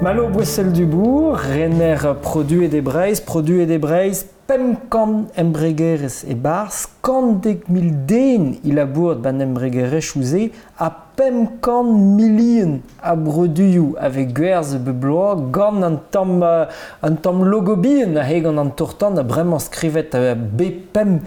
Malo Bouessel-Dubourg, rener Produet e Breizh, Produet e Breizh, 500 embregerezh e-barzh, 110 000 den é labourat ban embregerezhioù-se ha 500 milion a broduioù a vez gwerzhet bep bloaz gant an tamm logo bihan aze gant an tour-tan ha bremañ skrivet B5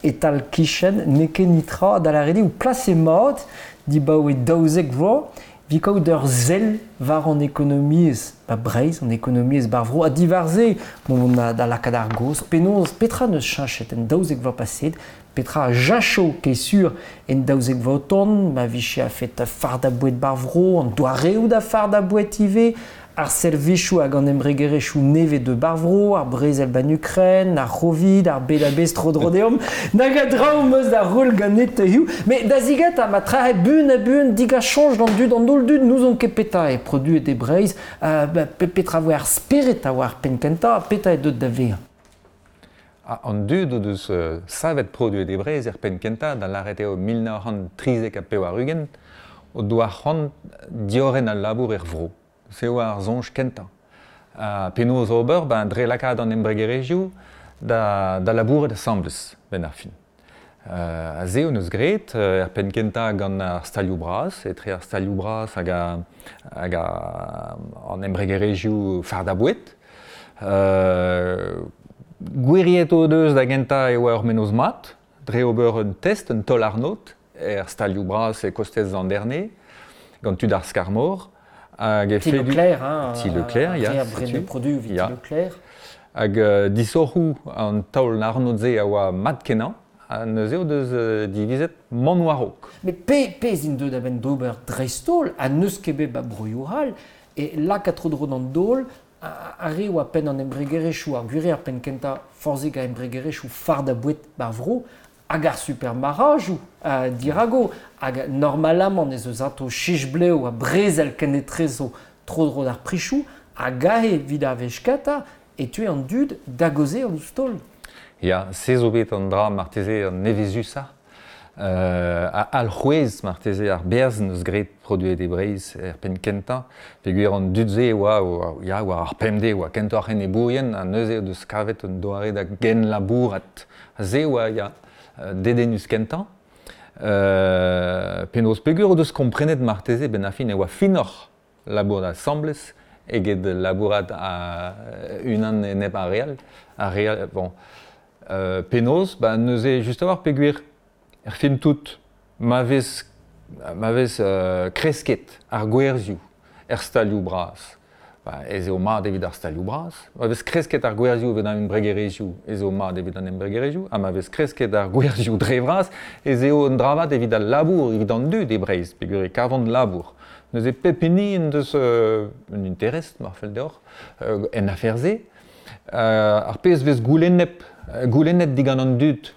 e-tal-kichen, n'eo ket netra da lâret eo plaset mat dibaoe 12 vloaz evit kaout ur sell war an ekonomiezh ba Breizh, an ekonomiezh bar vro, ha diwar-se mont da lakaat ar gaoz penaos petra n'eus cheñchet en 12 vloaz paset, petra a jacho ket sur en 12 vloaz o tont, ma vije a-fet fardañ boued bar vro, an doareoù da fardañ boued ivez, ar servijoù hag an embregerezhioù nevez de bar vro, ar brezel ban Ukraine, ar C'hovid, ar bed a-bezh tro-dro deomp, nag a draoù 'm eus da roll ganit hiziv. Met da zigentañ, ma trac'het buan ha buan digas soñj d'an dud, an holl dud n'ouzon ket petra eo produet e Breizh, petra voe ar spered a oa ar penn-kentañ, petra eo deuet da vezañ. An dud o deus savet produet e Breizh er penn-kentañ, da lâret eo 1993, o doa c'hoant diorren al labour er vro. Se oa ar soñj kentañ. Ha penaos ober? Ben, dre lakaat an embregerezhioù da labourat asambles, benn ar fin. Ha se hon eus graet er penn-kentañ gant ar stalioù bras, etre ar stalioù bras hag an embregerezhioù fardañ boued. Gwiriet o deus da gentañ e oa ur mennozh mat, dre ober un test, un taol-arnod, er stalioù bras e kostez Landerne, gant tud ar Skarmor. Hag Ti Leclerc, hein, Ti Leclerc, ya. Re produoù evit Ti Leclerc. Hag disoc'hoù an taol-arnod-se a oa mat-kenañ, ha neuze o deus divizet mont war-raok. Met pezh int deuet a-benn d'ober dreist-holl, ha n'eus ket bet ba broioù all, e lakaat tro-dro d'an daol ar re oa penn an embregerezhioù, ar gwir ar penn kentañ forzhik a embregerezhioù fardañ boued bar vro, hag ar supermarc'hadoù dirago, hag normalamant ez eus atao chich-blev ha brezel kenetrezo tro-dro d'ar prichoù, hag aze evit ar wech kentañ e teue an dud da gaozeal ouzh taol. Ya, se zo bet an dra marteze an nevezusañ. Alc'hwez marteze ar berzh n'eus graet produet e Breizh er penn kentañ, peogwir an dud-se e oa, ya, war ar pemdez e oa kentoc'h enebourien ha neuze o deus kavet un doare da genlabourat. Se oa, ya, dedennus kentañ. Penaos peogwir o deus komprenet marteze benn ar fin e oa finoc'h labourat asambles eget labourat unan enep ar re all. Ar re all, bon. Penaos, ba neuze just a-walc'h peogwir er fin tout ma vez kresket ar gwerzhioù er stalioù bras, ba, ez eo mat evit ar stalioù bras. Ma vez kresket ar gwerzhioù evit an embregerezhioù, ez eo mat evit an embregerezhioù, ha ma vez kresket ar gwerzhioù dre vras, ez eo un dra vat evit al labour, evit an dud e Breizh, peogwir e kavont labour. Neuze pep hini en deus un interest, mar fell deoc'h, en afer-se. Ar pezh vez goulennet digant an dud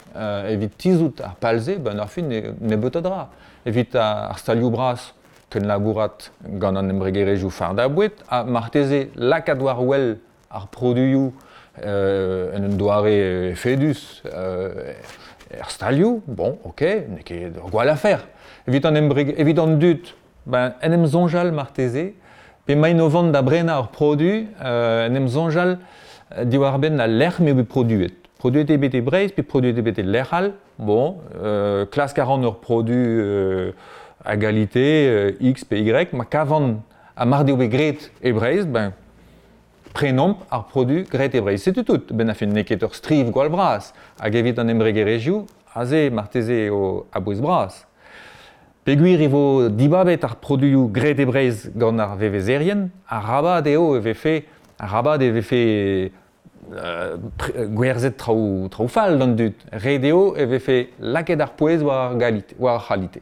evit tizhout ar pal-se, ben ar fin nebeut a dra. Evit ar stalioù bras, kenlabourat gant an embregerezhioù fardañ boued, ha marteze lakaat war wel ar produioù en un doare efedus er stalioù, bon, ok, n'eo ket ur gwall afer. Evit an dud, ben, en em soñjal marteze, pe emaint o vont da brenañ ur produ, en em soñjal diwar-benn al lec'h m'eo bet produet. Produet eo bet e Breizh pe produet eo bet e lec'h all, bon, klask a ran ur produ a galite X pe Y, ma kavan ha mar deo bet graet e Breizh, ben, prenomp ar produ graet e Breizh. Setu tout, benn ar fin n'eo ket ur striv gwall vras, hag evit an embregerezhioù, aze marteze eo a-bouez bras. Peogwir e vo dibabet ar produioù graet e Breizh gant ar vevezerien, arabat e vefe gwerzhet traoù fall d'an dud. Ret eo e vefe lakaet ar pouez war ar galite, war ar c'halite.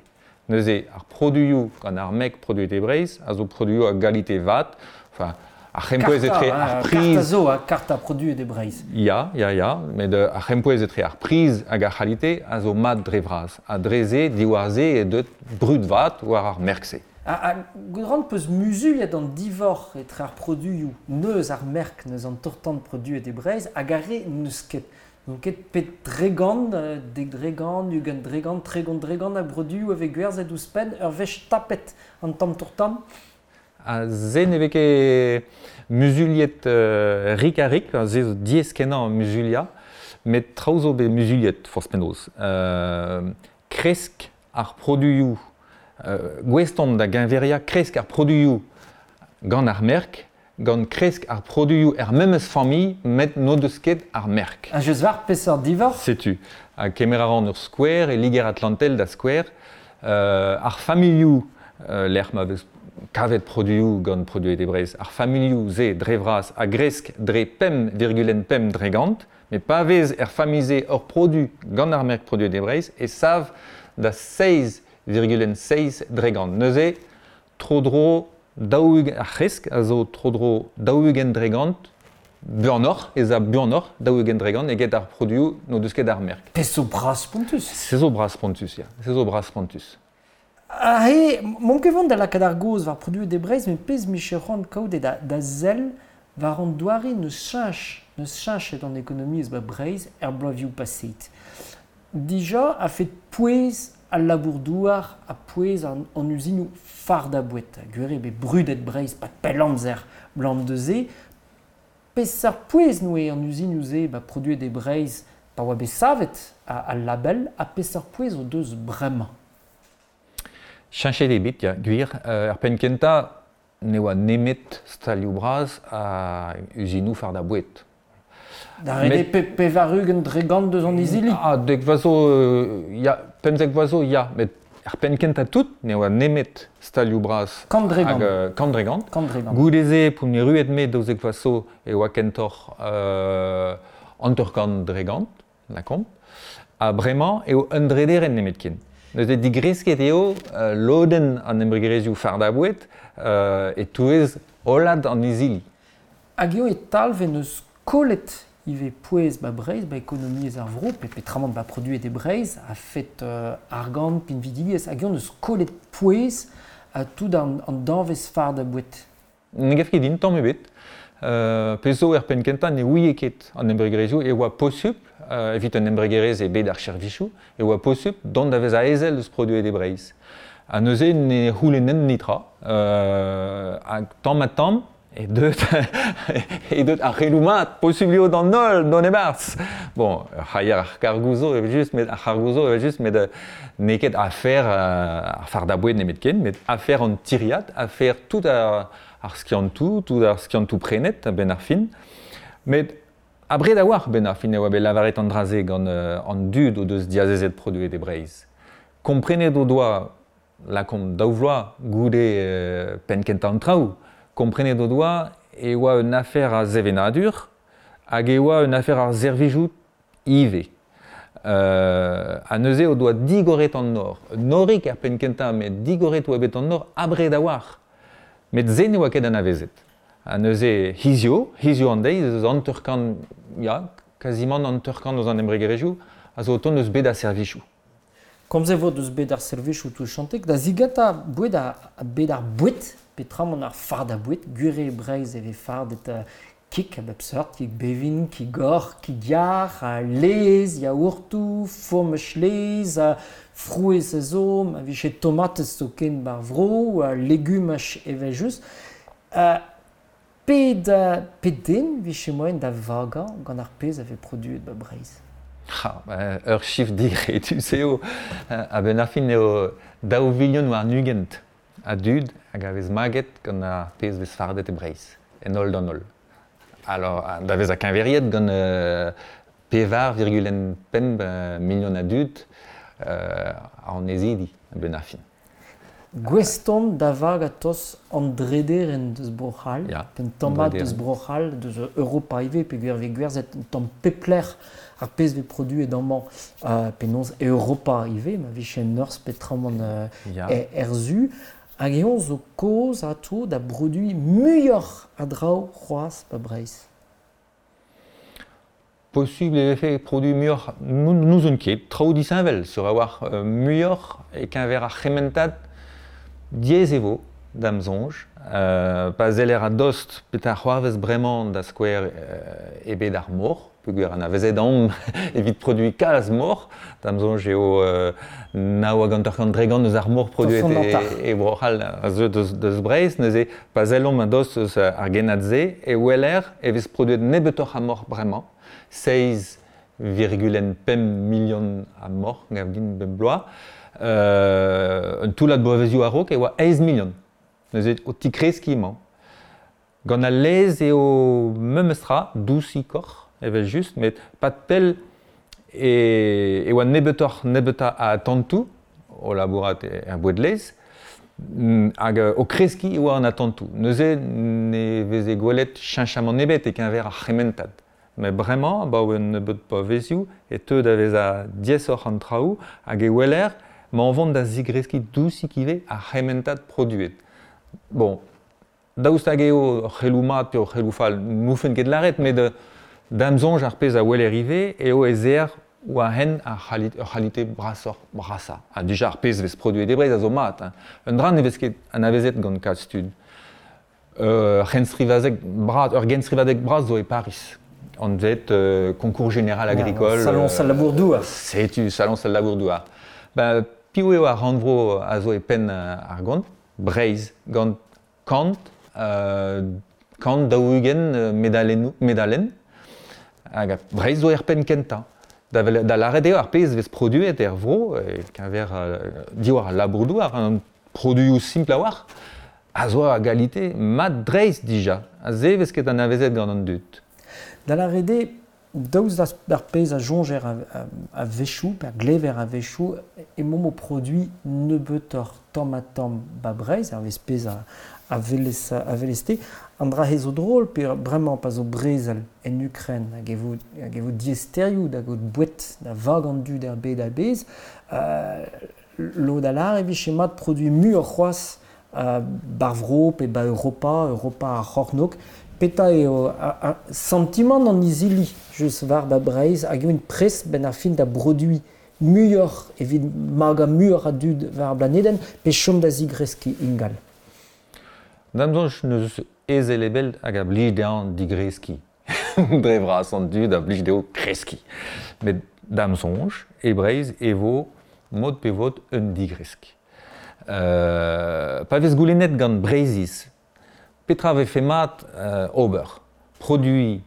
Neuze ar produioù gant ar mek produet e Breizh a zo produioù a galite vat, enfin, ar c'hempouez etre ar priz... Karta zo, karta produet e Breizh. Ya, ya, ya, met ar c'hempouez etre ar priz hag ar c'halite a zo mat dre vras. Ha dre se, diwar se eo deuet brud vat war ar merk-se. Ha gwrant peus muzuliet an divorc'h etre ar produioù neus ar merk, neus an tour-tan produet e Breizh, hag ar re n'eus ket. N'on ket pet dregant, 10%, 20%, 30% a broduioù a vez gwerzhet ouzhpenn ur wech tapet an tamm tour-tan. Ha se ne vez ket muzuliet rik-ha-rik, se zo diaes kenañ muzuliañ, met traoù zo bet muzuliet forzh penaos. Kresk ar produioù, gouest on da geñveriañ kresk ar produioù gant ar merk, gant kresk ar produioù er memes familh, met n'o deus ket ar merk. Ha just war peseurt divoc'h? Setu. Ha kemer a ran ur skouer, e Liger-Atlantel da skouer, ar familhoù lec'h ma vez kavet produioù gant Produet e Breizh. Ar familhoù-se dre vras a gresk dre 5,5 dregant, met pa vez er familh-se ur produ gant ar merk Produet e Breizh e sav da 6,6 dregant. Neuze, tro-dro daou ar c'hresk a zo tro-dro 40 dregant buanoc'h, ez a buanoc'h 40 dregant eget ar produioù n'o deus ket ar merk. Pezh zo bras-spontus. Se zo bras-spontus, ya. Se zo bras-spontus. Aze, m'on ket vont da lakaat ar gaoz war Produet e Breizh, met pezh 'mije c'hoant kaout eo da sell war an doare n'eus cheñch, n'eus cheñchet an ekonomiezh ba Breizh er bloavezhioù paseet. Dija a-fet pouez al labour-douar ha pouez an uzinoù fardañ-boued. Gwir eo bet brudet Breizh 'pad pell amzer 'blam deus-se. Peseurt pouez 'noe an uzinoù-se ba Produet e Breizh pa oa bet savet al label ha peseurt pouez o deus bremañ? Cheñchet eo bet, ya, gwir. Er penn kentañ ne oa nemet stalioù bras ha uzinoù fardañ-boued. Da ret eo 80% deus an izili? Ah, dek vloaz zo, ya, 15 vloaz zo, ya, met er penn kentañ tout ne oa nemet stalioù bras. Kant dre gant. Hag kant dre gant. Kant dre gant. Goude-se, p'on erruet me 12 vloaz zo, e oa kentoc'h 50%, lakaomp. Ha bremañ eo un drederenn nemetken. Neuze digresket eo lodenn an embregerezhioù fardañ-boued e-touez hollad an izili. Hag eo e talv en deus kollet ivez pouez ba Breizh, ba ekonomiezh ar vro, pe petramant ba produet e Breizh, a-fet argant, pinvidigezh, hag eo en deus kollet pouez tout an danvez fardañ-boued. Ne gav ket din tamm ebet. Pezh zo er penn kentañ ne ouie ket an embregerezhioù e oa posupl, evit un embregerezh e bed ar servijoù, e oa posupl dont da vezañ ezel eus Produet e Breizh. Ha neuze ne c'houlennent netra. Hag tamm-ha-tamm e deut, e deut ar c'heloù mat, posupl eo d'an holl dont e-barzh. Bon, ur c'haier ar kargoù zo evel-just, met ar c'hargoù zo evel-just, met n'eo ket afer ar fardañ-boued nemetken, met afer an tiriad, afer tout ar ar skiantoù, tout ar skiantoù prenet a-benn ar fin. Met abred a-walc'h benn ar fin e oa bet lavaret an dra-se gant an dud o deus diazezet Produet e Breizh. Komprenet o doa, lakaomp daou vloaz goude penn kentañ an traoù, komprenet o doa e oa un afer a sevenadur hag e oa un afer ar servijoù ivez. Ha neuze o doa digoret an nor. Norig er penn kentañ, met digoret oa bet an nor abred a-walc'h. Met se ne oa ket anavezet. Ha neuze hizio, hizio an deiz, eus 50, ya, kazimant 50 eus an embregerezhioù a zo o tont eus bed ar servijoù. Komz e vo deus bed ar servijoù touchantek da zigatañ boued ar bed ar boued, petramant ar fardañ boued, gwir eo Breizh e vez fardet kig a bep seurt, kig bevin, kig hoc'h, kig yar, laezh, yaourtoù, fourmaj laezh, frouezh a zo, ma vije tomatez zoken ba'r vro, legumaj evel-just. Pet, pet den vije moaien da vagañ gant ar pezh a vez produet ba Breizh? Ha, ur chiffre digredus eo. A-benn ar fin eo 22 milion a dud hag a vez maget gant ar pezh vez fardet e Breizh, en holl d'an holl. Alors, da vezañ keñveriet gant 4,5 milion a dud annezidi a-benn ar fin. Gouest on da vagañ tost an drederenn deus Bro-C'hall, un tamm mat deus Bro-C'hall, deus Europa ivez, peogwir e vez gwerzhet un tamm pep lec'h ar pezh vez produet amañ, penaos Europa ivez, ma vije en norzh petramant er su. Hag eñ zo kaoz atav da broduiñ muioc'h a draoù c'hoazh ba Breizh. Posubl e vefe produiñ muioc'h, n'ouzon ket, traoù disheñvel sur a-walc'h muioc'h e-keñver ar c'hementad diaes e vo da'm soñj. Pa seller a-dost petra c'hoarvez bremañ da skouer e bed ar mor, Peogwir anavezet omp evit produiñ kalz moc'h, da'm soñj eo nav hag 50% eus ar moc'h produet e Bro-C'hall a zeu deus Breizh. Neuze, pa sellomp a-dost eus ar gennad-se, e weler e vez produet nebeutoc'h a moc'h bremañ, 6,5 milion a moc'h, gav din, bep bloaz. Un toullad bloavezioù a-raok e oa 8 milion. Neuze, o tigreskiñ emañ. Gant al laezh eo memes tra, dousikoc'h evel-just, met pad pell e oa nebeutoc'h-nebeutañ a atantoù o labourat er boued-laezh hag o kreskiñ e oa an atantoù. Neuze ne veze gwelet cheñchamant ebet e-keñver ar c'hementad. Met bremañ, abaoe un nebeud bloavezioù, e teu da vezañ diaesoc'h an traoù hag e weler emañ o vont da zigreskiñ dousik ivez ar c'hementad produet. Bon, Daoust hag eo ur c'heloù mat pe ur c'heloù fall, n'oufen ket lâret, met da'm soñj ar pezh a weler ivez eo ez eer war hent ar ur c'halite brasoc'h brasañ. Ha dija ar pezh vez produet e Breizh a zo mat. Hein. Un dra ne vez ket anavezet gant kalz tud. Ur c'henstrivadeg bras, ur genstrivadeg bras zo e Pariz, anvet Concours général agricole. Saloñs al labour-douar. Setu saloñs al labour-douar. Ben, piv eo ar rannvro a zo e penn ar gont? Breizh, gant kant, 140 medalennoù, medalenn. Hag Breizh zo er penn kentañ. Da, da lâret eo ar pezh vez produet er vro, e-keñver diwar al labour-douar, an produioù simpl a-walc'h, a zo a galite mat-dreist dija. Ha se vez ket anavezet gant an dud. Da lâret eo, daoust d'ar pezh a soñjer a-wechoù, pe a glever a-wechoù, emaomp o produiñ nebeutoc'h tamm-ha-tamm 'ba Breizh, hervez pezh a welez-te. An dra-se zo drol, pe bremañ pa zo brezel en Ukren hag e vo, hag e vo diaesterioù da gaout boued da vagañ an dud er bed a-bezh, lod a lâr e vije mat produiñ muioc'h c'hoazh 'bar vro pe 'ba Europa, Europa ar c'hornôg. Petra eo santimant an izili just war 'ba Breizh hag eo int prest 'benn ar fin da broduiñ muioc'h evit magañ muioc'h a dud war ar blanedenn pe chom da zigreskiñ ingal? Da'm soñj n'eus ezel ebet hag a blij dezhañ digreskiñ. Dre vras an dud a blij dezho kreskiñ. Met da'm soñj, e Breizh e vo mod pe vod un digresk. Pa vez goulennet gant Breizhiz petra vefe mat ober, produiñ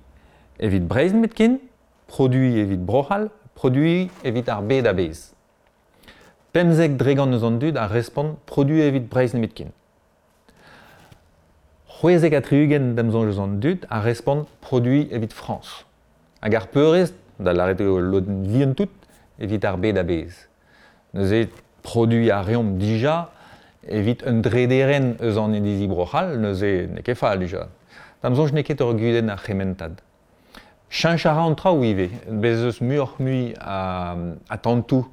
evit Breizh nemetken, produiñ evit Bro-C'hall, produiñ evit ar bed a-bezh. 15% eus an dud a respont produiñ evit Breizh nemetken. 76 da'm soñj eus an dud a respont produiñ evit Frañs. Hag ar peurrest, da lâret eo ul lodenn vihan tout, evit ar bed a-bezh. Neuze, produiñ a reomp dija evit un drederenn eus an inizi Bro-C'hall, neuze n'eo ket fall dija. Da'm soñj n'eo ket ur gudenn ar c'hementad. Cheñch a ra an traoù ivez. Bez' eus muioc'h-mui a atantoù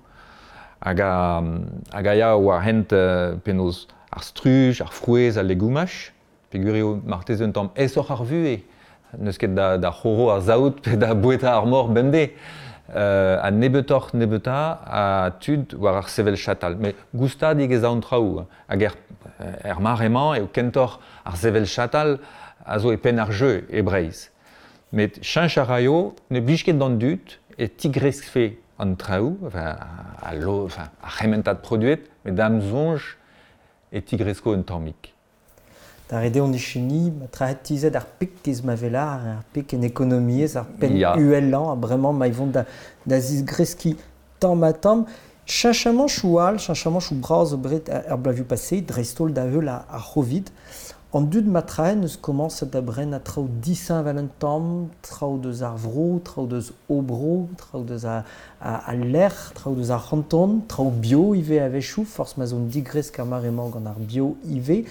hag a, hag a ya war hent penaos ar struj, ar frouezh, al legumaj. Peogwir eo marteze un tamm aesoc'h ar vuhez. N'eus ket da c'horo ar saout pe da boueta ar mor bemdez. Ha nebeutoc'h nebeutañ a tud war ar sevel chatal. Met goustadik ez a an traoù. Hag er mare-mañ eo kentoc'h ar sevel chatal a zo e penn ar jeu e Breizh. Met cheñch a raio, ne blij ket d'an dud e tigreskfe an traoù, enfin, ar c'hementad produet, met da'm soñj e tigresko un tammig. Da ret eo an echeni, ma traet tizhet ar pik ez ma velar, ar pik en ekonomiezh, ar penn uhelañ, ha bremañ ma vont da zigreskiñ tamm-ha-tamm. Cheñchamanchoù all, cheñchamanchoù bras zo bet er bloavezhioù paseet, dreist-holl da heul ar C'hovid. An dud ma traen eus komañset da brenañ traoù disheñvel un tamm, traoù deus ar vro, traoù deus o bro, traoù deus al lec'h, traoù deus ar c'hanton, traoù bio ivez a-wechoù, forzh ma 'z on digresk ar mare-mañ gant ar bio ivez.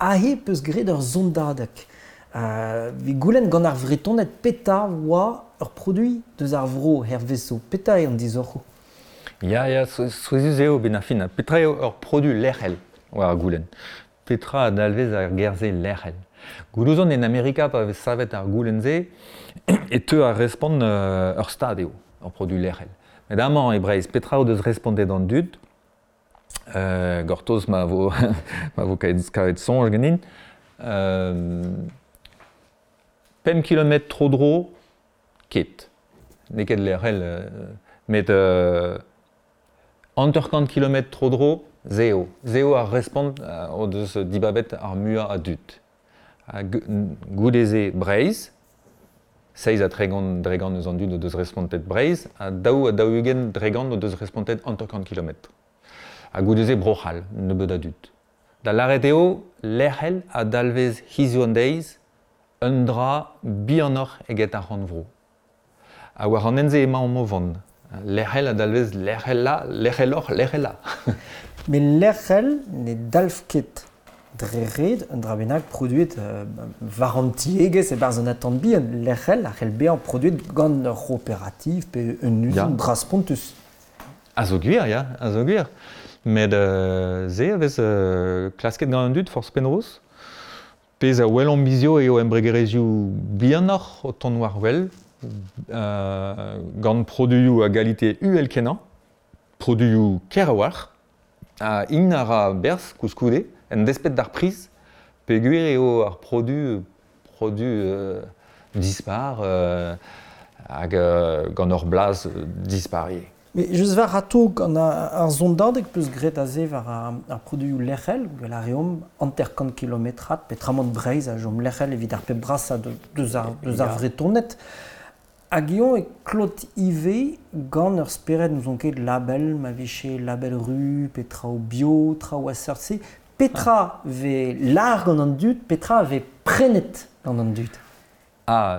Aze 'peus graet ur sondadeg. Evit goulenn gant ar Vretoned petra oa ur produiñ deus ar vro hervezo, petra eo an disoc'hoù? Ya, ya, souezhus eo 'benn ar fin. Petra eo ur produ lec'hel war ar goulenn? Petra a dalvez ar ger-se lec'hel? Goulouzon en Amerika pa vez savet ar goulenn-se e teu ar respont ur stad eo, ur produ lec'hel. Met amañ e Breizh, petra o deus respontet an dud? Gortoz ma vo ma vo kavet soñj ganin. 5 kilometr tro-dro, ket. N'eo ket lec'hel, met 50 kilometr tro-dro, se eo. Se eo ar respont o deus dibabet ar muiañ a dud. Ha goude-se Breizh, 37% eus an dud o deus respontet Breizh, ha 42% o deus respontet 50 kilometr. Ha goude-se Bro-C'hall, nebeut a dud. Da lâret eo, lec'hel a dalvez hiziv an deiz un dra bihanoc'h eget ar rannvro. Ha war an hent-se emaomp o vont. Lec'hel a dalvez lec'helañ, lec'heloc'h, lec'helañ. Met lec'hel ne dalv ket dre ret un dra bennak produet war an tiegezh e-barzh un atant bihan. Lec'hel a c'hell bezañ produet gant ur c'hooperativ pe un uzin bras-spontus. A zo gwir, ya, a zo gwir. Met se a vez klasket gant an dud forzh penaos. Pezh a welomp hiziv eo embregerezhioù bihanoc'h o tont war wel, gant produioù a galite uhel-kenañ, produioù ker a-walc'h, ha int a ra berzh koulskoude, en desped d'ar priz, peogwir eo ar produ produ dispar hag gant ur blaz dispar ivez. Met just war atao gant ar sondadeg 'peus graet aze war ar produioù lec'hel, gwell a reomp 50 kilometrad, petramant Breizh a chom lec'hel evit ar pep brasañ deus ar, deus ar Vretoned. Hag eñ e klot ivez gant ur spered n'ouzon ket label, ma vije label ru pe traoù bio, traoù a seurt-se. Petra 'vez lâr gant an dud, petra 'vez prenet gant an dud? Ah,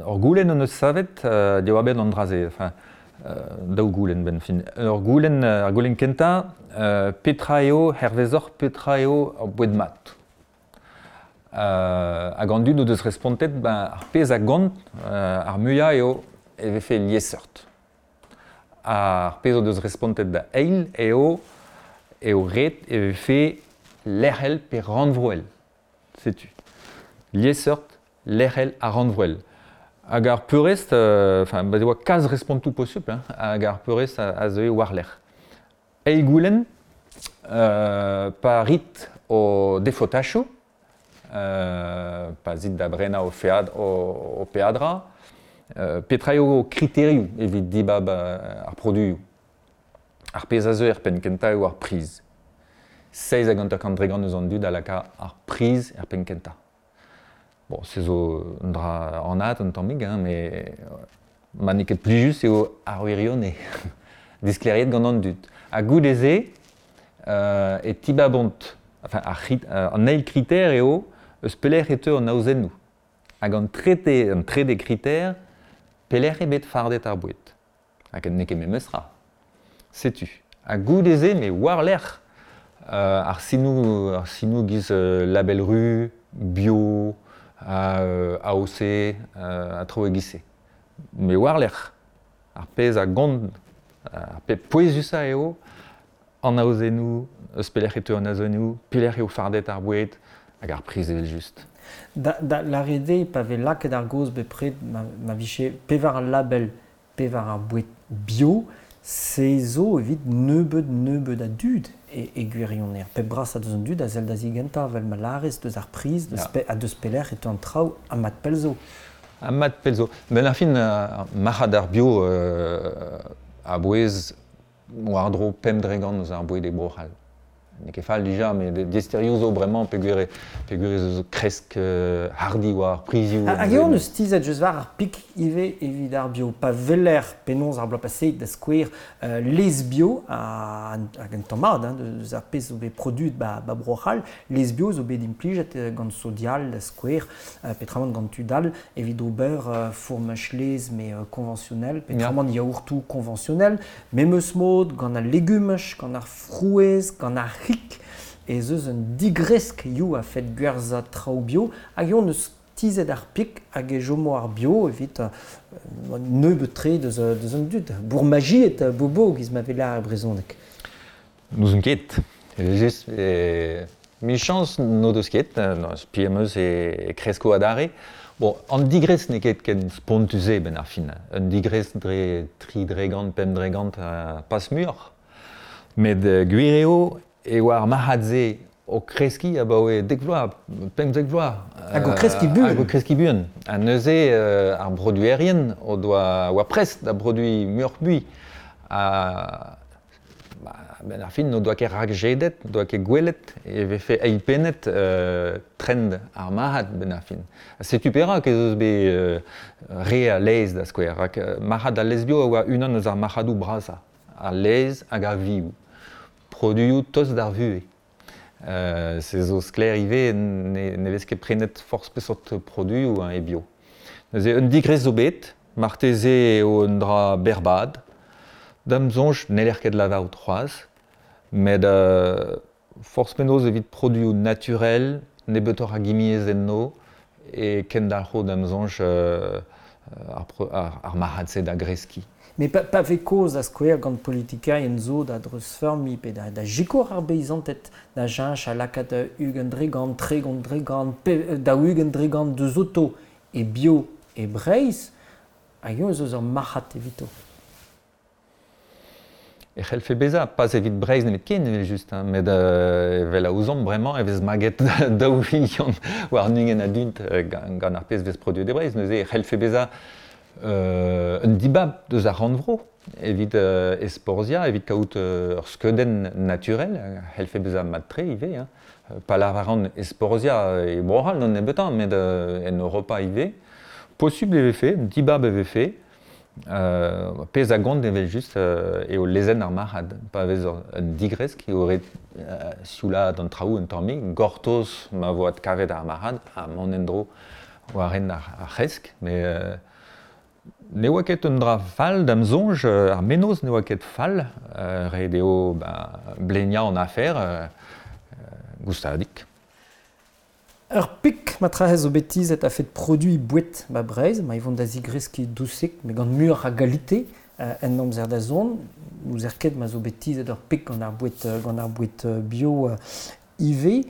ur goulenn hon eus savet diwar-benn an dra-se. Enfin, daou goulenn benn fin. Ur goulenn, ar goulenn kentañ, petra eo, hervezoc'h, petra eo ur boued mat? Hag an dud o deus respontet, ben, ar pezh a gont ar muiañ eo e vefe liesseurt. Ar pezh o deus respontet da eil eo eo ret e vefe lec'hel pe rannvroel. Setu. Liesseurt, lec'hel ha rannvroel. Hag ar peurrest, enfin, ba e oa kalz respontoù posupl, hein, hag ar peurrest a zeue war-lerc'h. Eil goulenn, pa rit ho defotachoù, pa zit da brenañ ho fead, ho peadra, petra eo ho kriterioù evit dibab ar produioù? Ar pezh a zeu er penn-kentañ eo ar priz. 57% eus an dud a laka ar priz er penn-kentañ. Bon, se zo un dra anat un tammig, hein, met ma n'eo ket plijus eo ar wirionez disklêriet gant an dud. Ha goude-se e tibabont, enfin ar an eil kriter eo eus pelec'h e teu an aozennoù. Hag an trede, an trede kriter, pelec'h eo bet fardet ar boued. Hag n'eo ket memes tra. Setu. Ha goude-se, me war-lerc'h ar sinoù, ar sinoù giz Label Ru, Bio, AOC, ha traoù e-giz-se. Me war-lerc'h, ar pezh a gont, ar pep pouezusañ eo an aozennoù, eus pelec'h e teu an aozennoù, pelec'h eo fardet ar boued, hag ar priz evel-just. Da lâret eo, pa vez lakaet ar gaoz bepred ma vije pevar label pe war ar boued bio, se zo evit nebeut-nebeut a dud e gwirionez. Pep brasañ deus an dud a sell da zigentañ, evel ma lârez, deus ar priz, deus ha deus pelec'h e teu an traoù, ha mat pell zo. Ha mat pell zo. Ben ar fin, marc'had ar bio a-bouez war-dro 5% eus ar boued e Bro-C'hall. N'eo ket fall dija, met diaesterioù zo bremañ peogwir peogwir ez eus kresk hardi war ar prizioù. Hag eo hon eus tizhet just war ar pik ivez evit ar bio. Pa weler penaos ar bloaz paseet, da skouer, laezh bio, hag un tamm mat hein, deus ar pezh zo bet produet ba, ba Bro-C'hall, laezh bio zo bet implijet gant Sodial, da skouer, petramant gant tud all, evit ober fourmaj laezh mais conventionnel, petramant yaourtoù conventionnel, memes mod gant al legumaj, gant ar frouezh, gant ar c'hig, ez eus un digresk hiziv a-fet gwerzhañ traoù bio, hag eo hon eus tizhet ar pik hag e chomo ar bio evit nebeut-tre deus, deus an dud. Bourmajiet, bobo, giz ma vez lâret e brezhoneg. N'ouzon ket. Evel-just, michañs n'o deus ket, spi am eus e kresko adarre. Bon, an digresk n'eo ket ken spontus-se benn ar fin. Un digresk dre 3%, 5% pas muioc'h. Met gwir eo e oa ar marc'had-se o kreskiñ abaoe dek vloaz, 15 vloaz. Hag o kreskiñ buan. Hag o kreskiñ buan. Ha neuze ar broduerien o doa oa prest da produiñ muioc'h-mui. Ha ben ar fin n'o doa ket rakjedet, n'o doa ket gwelet e vefe eilpennet trend ar marc'had ben ar fin. Ha setu perak ez eus bet re a laezh da skouer. Rak marc'had al laezh bio a oa unan eus ar marc'hadoù brasañ. Al laezh hag ar vioù. Produioù tost d'ar vuhez. Se zo sklaer ivez ne vez ket prenet forzh peseurt produioù hein, e bio. Neuze un digrez zo bet, marteze eo un dra berrbad. Da'm soñj n'heller ket lavarout c'hoazh, met forzh penaos evit produioù naturel, nebeutoc'h a gimiezh enno, e kendalc'ho da'm soñj ar marc'had-se da greskiñ. Mais pa vez kaoz da skouer gant politikerien zo da dreuzfeurmiñ pe da sikour ar beizanted da cheñch ha lakaat 20%, 30%, 40% deus oto e bio e Breizh, hag eñ ez eus ur marc'had evito. E c'hellfe bezañ, pas evit Breizh nemetken evel-just, hein, met evel a ouzomp bremañ e vez maget 2 vilion warn-ugent a dud gant ar pezh vez produet e Breizh. Neuze e c'hellfe bezañ un dibab deus ar rannvro evit esporziañ, evit kaout ur skeudenn naturel, a c'hellfe bezañ mat-tre ivez. Hein. Pa lavaran esporziañ e Bro-C'hall d'an nebeutañ, met en Europa ivez. Posubl e vefe, un dibab e vefe. Pezh a gont evel-just eo lezenn ar marc'had. Pa vez un digresk eo ret sioulaat an traoù un tammig, gortoz ma vo adkavet ar marc'had ha mont en-dro war hent ar c'hresk. Met ne oa ket un dra fall da'm soñj, ar mennozh ne oa ket fall, ret eo bleniañ an afer goustadik. Ur pik matrahez zo bet tizhet a-fet produiñ boued ba Breizh, ma e vont da zigreskiñ dousik, met gant muioc'h a galite en amzer da zont. N'ouzer ket ma zo bet tizhet ur pik gant ar boued bio ivez.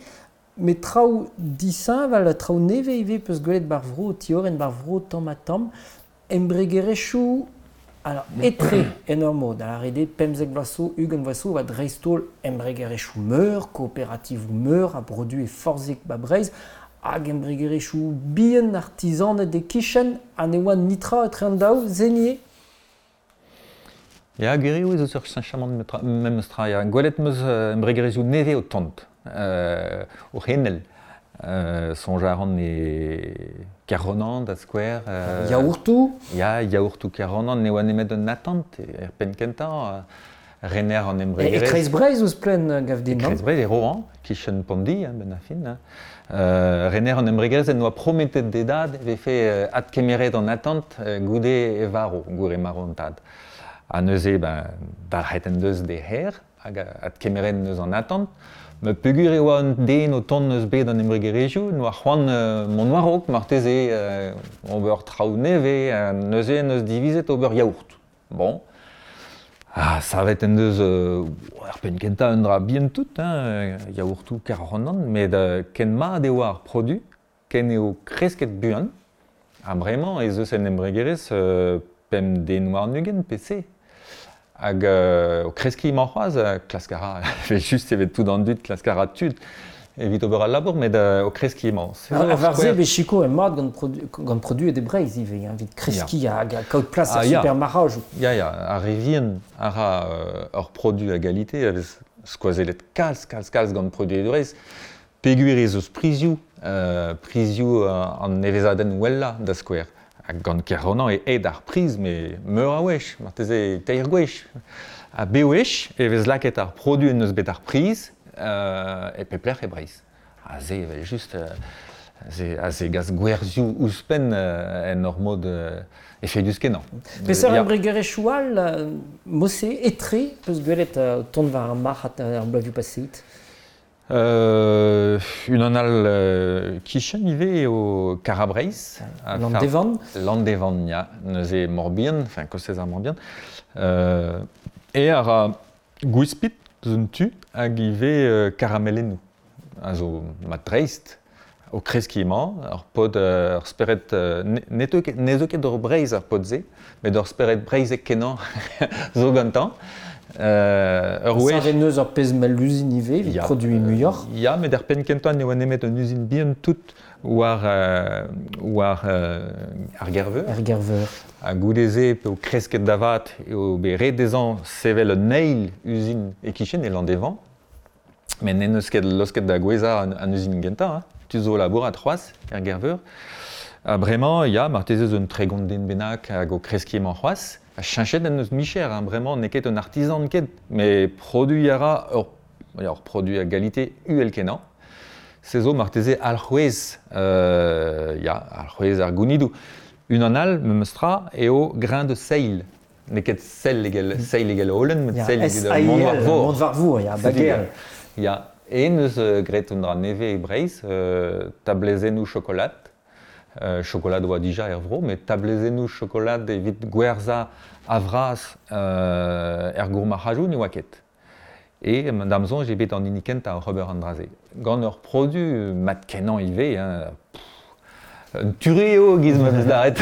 Met traoù disheñvel, traoù nevez ivez peus gwelet bar vro, tioren bar vro tamm-ha-tamm. Embregerezhioù alors, etre en ur mod, a lâret eo 15 vloaz zo, 20 vloaz zo, oa dreist-holl embregerezhioù meur, kooperativoù meur a brodu e forzhig ba Breizh, hag embregerezhioù bihan artizaned e-kichen, ha ne oa netra etre an daou, se Ya, gwir eo ez eus ur cheñchamant memes tra. Ya. Gwelet 'm eus embregerezhioù nevez o tont, o c'henel. Soñj a ran e Kerronan da skouer. Yaourtoù? Ya, yaourtoù Kerronan ne oa nemet un atant er penn kentañ. Rener an embregerezh. E kreiz Breizh ouzhpenn, gav din, non? E kreiz Breizh, e Rohan, kichen Pondi, hein, benn ar fin. Hein. Rener an embregerezh en doa prometet d'e dad e vefe adkemeret an atant goude e varv, goude marv an tad. Ha neuze, ben, dalc'het en deus d'e c'her hag adkemeret en deus an atant. Met peogwir e oa un den o tont eus bed an embregerezhioù, n'oa c'hoant mont war-raok marteze, ober traoù nevez, neuze en deus divizet ober yaourt. Bon. Ha savet en deus er penn kentañ un dra bihan tout, hein, yaourtoù Kerronan, met ken mat e oa ar produ, ken eo kresket buan. Ha bremañ ez eus en embregerezh 5 den warn-ugent pe se. Hag o kreskiñ emañ c'hoazh, klask a ra, evel-just evet tout an dud, klask a ra tud evit ober al labour, met o kreskiñ emañ. Ha war se vez sikour mat gant produet e Breizh ivez, hein, evit kreskiñ hag kaout plas er supermarc'hadoù. Ya, ya, ar re vihan a ra ur produ a galite a vez skoazellet kalz, kalz, kalz gant produet e Breizh. Peogwir ez eus prizioù, prizioù an nevezadenn wellañ da skouer. Hag gant Kerronan eo aet ar priz, met meur a wech, marteze teir gwech. Ha bewech e vez lakaet ar produ en deus bet ar priz e pep lec'h e Breizh. Ha se evel-just, a zegas gwerzhioù ouzhpenn en ur mod efedus-kenañ. Peseurt embregerezhioù all, mod-se, etre, peus gwelet tont war ar marc'had ar bloavezhioù paseet? Unan all kichen ivez eo Karabreiz. Landevan. Landevan, ya. Neuze Morbihan, enfin kostez ar Morbihan. E a ra gwispid eus un tu hag ivez karamelennoù. A zo mat-dreist o kreskiñ emañ, ur pod, ur spered, ne zeu ket d'ur Breizh ar pod-se, met ur spered breizhek-kenañ zo gantañ. Ur wech... Savet neus ur pezh mell uzin ivez evit produiñ muioc'h. Ya, met er penn kentañ ne oa nemet un uzin bihan tout war war ar Gerveur. Er Gerveur. Ha goude-se p'eo kresket da vat eo bet ret dezhañ sevel un eil uzin e-kichen e Landévant. Met n'en deus ket laosket da gouezhañ an uzin gentañ. Hein. Tu zo labourat c'hoazh er Gerveur. Ha bremañ, ya, marteze eus un 30 den bennak hag o kreskiñ emañ c'hoazh. Ha cheñchet en deus micher, hein, bremañ n'eo ket un artizan ket, met produiñ a ra ur produit a galite uhel-kenañ. Se zo marteze alc'hwez, ya, alc'hwez ar gounidoù. Unan all, memes tra, eo grain de seil. N'eo ket sell evel, seil evel holen, met seil evel mont war vor. Mont war vor, ya, bageal. Ya, en eus graet un dra nevez e Breizh, tablezennoù chokolad. Chokolad oa dija er vro, met tablezennoù chokolad evit gwerzhañ a-vras er gourmarc'hadoù ne oa ket. E da'm soñj eo bet an hini kentañ oc'h ober an dra-se. Gant ur produ mat-kenañ ivez, hein, un ture eo giz ma vez lâret.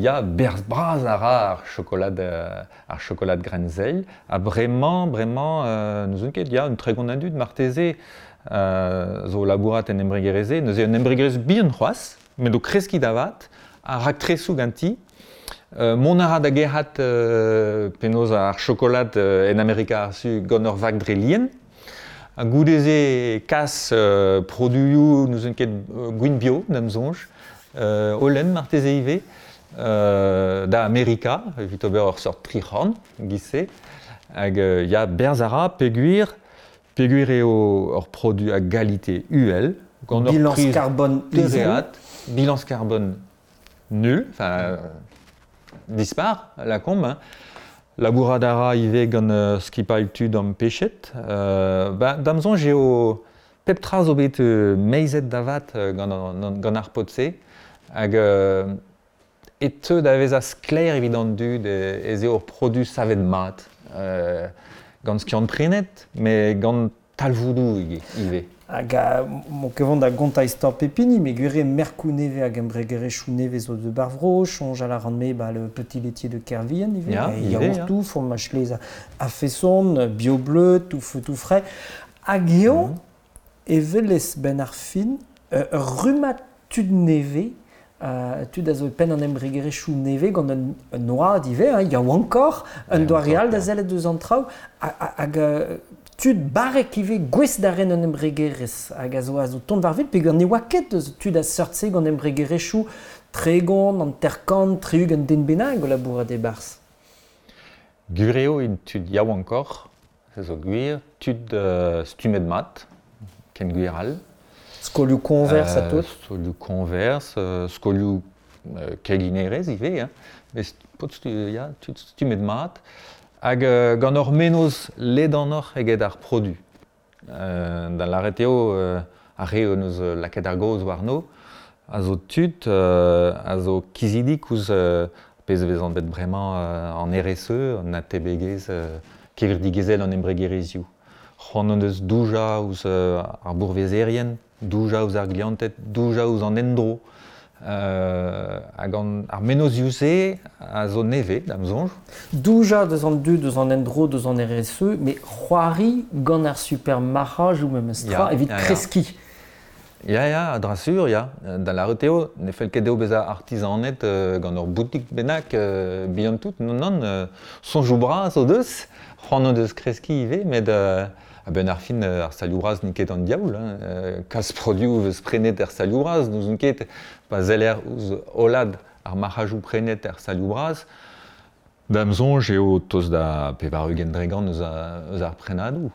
Ya, berzh bras a ra ar chokolad, ar chokolad Grenzeil. Ha bremañ, bremañ, n'ouzon ket, ya, un 30 a dud marteze zo o labourat en embregerezh-se. Neuze un embregerezh bihan c'hoazh, met o kreskiñ da vat, ha raktresoù ganti. Mont a ra da gerc'hat penaos ar chokolad en Amerika ar Su gant ur vag dre lien. Ha goude-se kas produioù n'ouzon ket gwin bio, da'm soñj, holen marteze ivez, da Amerika evit ober ur seurt tric'horn giz-se. Hag ya, berzh a ra peogwir peogwir eo ur produ a galite uhel, gant ur Bilañs priz karbon izel. dereat, bilañs karbon nul, enfin dispar, lakaomp. Hein. Labourat a ra ivez gant skipailh tud ampechet. Ba, da'm soñj eo pep tra zo bet meizet da vat gant, gant ar paotr-se. Hag e teu da vezañ sklaer evit an dud ez eo ur produ savet mat. Gant skiant-prenet, met gant talvoudoù ivez. Hag m'o ket vont da gontañ istor pep hini, met gwir eo merkoù nevez hag embregerezhioù nevez zo deus ar vro, soñjal a ran-me ba le petit laitier de Kervien ivez, Ya, ivez, ya. yaourtoù, fromaj laezh a-feson, bio-bleu, tout feu tout frais. Hag eo e welez 'benn ar fin ur rummad tud nevez, tud a zo e penn an embregerezhioù nevez gant un oad ivez, hein, yaouankoc'h, un doare all da sellet eus an traoù, hag tud barrek ivez gouest da ren un embregerezh hag a zo a zo tont war wel peogwir ne oa ket eus tud a seurt-se gant embregerezhioù 30, 50, 60 den bennak o labourat e-barzh. Gwir eo int tud yaouankoc'h, se zo gwir, tud stummet mat, ken gwir all. Skolioù koñvers ha tout. Skolioù koñvers, skolioù keginerezh ivez, hein. Met paotr ya, tud stummet mat. Hag gant ur mennozh ledanoc'h eget ar produ. Da lâret eo ar re hon eus lakaet ar gaoz warno a zo tud a zo kizidik ouzh pezh a vez anvet bremañ an RSE, an atebegezh kevredigezhel an embregerezhioù. C'hoant hon eus doujañ ouzh ar bourvezerien, doujañ ouzh ar glianted, doujañ ouzh an endro. Hag ar mennozhioù-se a zo nevez, da'm soñj. Doujañ deus an dud, deus an endro, deus an RSE, met c'hoari gant ar supermarc'hajoù memes tra evit kreskiñ. Ya, ya, a dra sur, ya. Da lâret eo, ne fell ket dezho bezañ artizaned gant ur boutik bennak bihan tout. Non, non, soñjoù bras o deus, c'hoant o deus kreskiñ ivez, met a-benn ar fin, ar stalioù bras n'int ket an diaoul. Hein. Kalz produoù 'vez prenet er stalioù bras, n'ouzon ket pa seller ouzh hollad ar marc'hajoù prenet er stalioù bras. Da'm soñj eo tost da 80% eus ar prenadoù.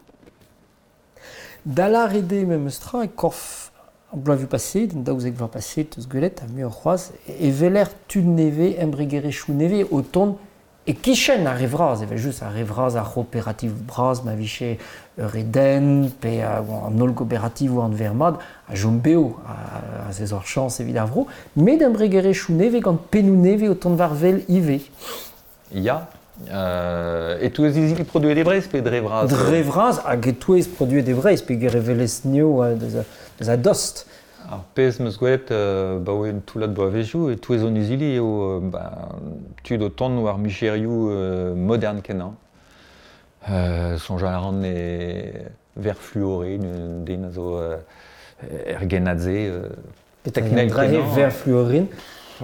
Da lâret eo memes tra e korf ar bloavezhioù paseet, an 12 vloaz paseet eus gwelet, ha muioc'h c'hoazh, e weler tud nevez, embregerezhioù nevez o tont e-kichen ar re vras, evel-just ar re vras, ar c'hooperativ bras ma vije ur Eden pe an holl gooperativoù anver mat a chom bev, a se zo ur chañs evit ar vro, met embregerezhioù nevez gant pennoù nevez o tont war wel ivez. Ya, e-touez izili produet e Breizh pe dre vras? Dre vras hag e-touez produet e Breizh peogwir e welez nio deus a dost. Ar pezh 'm eus gwelet 'baoe un toullad bloavezhioù e-touez hon izili eo tud o tont war micherioù modern-kenañ. Soñjal a ran e ver fluoré den a zo er gennad-se. Teknel kenañ. Ver fluorin.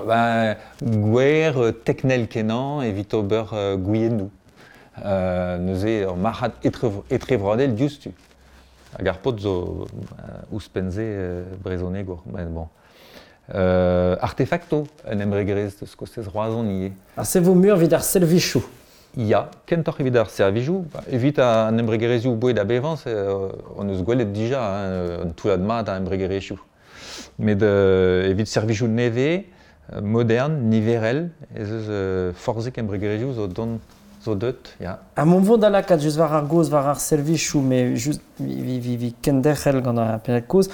Ben, gwer teknel kenañ evit ober gwiennoù. Neuze ur marc'had etrevroadel diouzhtu. Hag ar paotr zo ouzhpenn-se brezhonegour. Ben, bon. Artefacto, un embregerezh deus kostez Roazhon ivez. Ha se vo muioc'h evit ar servijoù? Ya, kentoc'h evit ar servijoù. Evit an embregerezhioù boued ha bevañs hon eus gwelet dija hein, un toullad mat a embregerezhioù. Met evit servijoù nevez, modern, niverel, ez eus forzhik embregerezhioù zo dont zo deut, ya. Ha mont vo da lakaat just war ar gaoz war ar servijoù, met just vi kenderc'hel gant ar pennad kozh.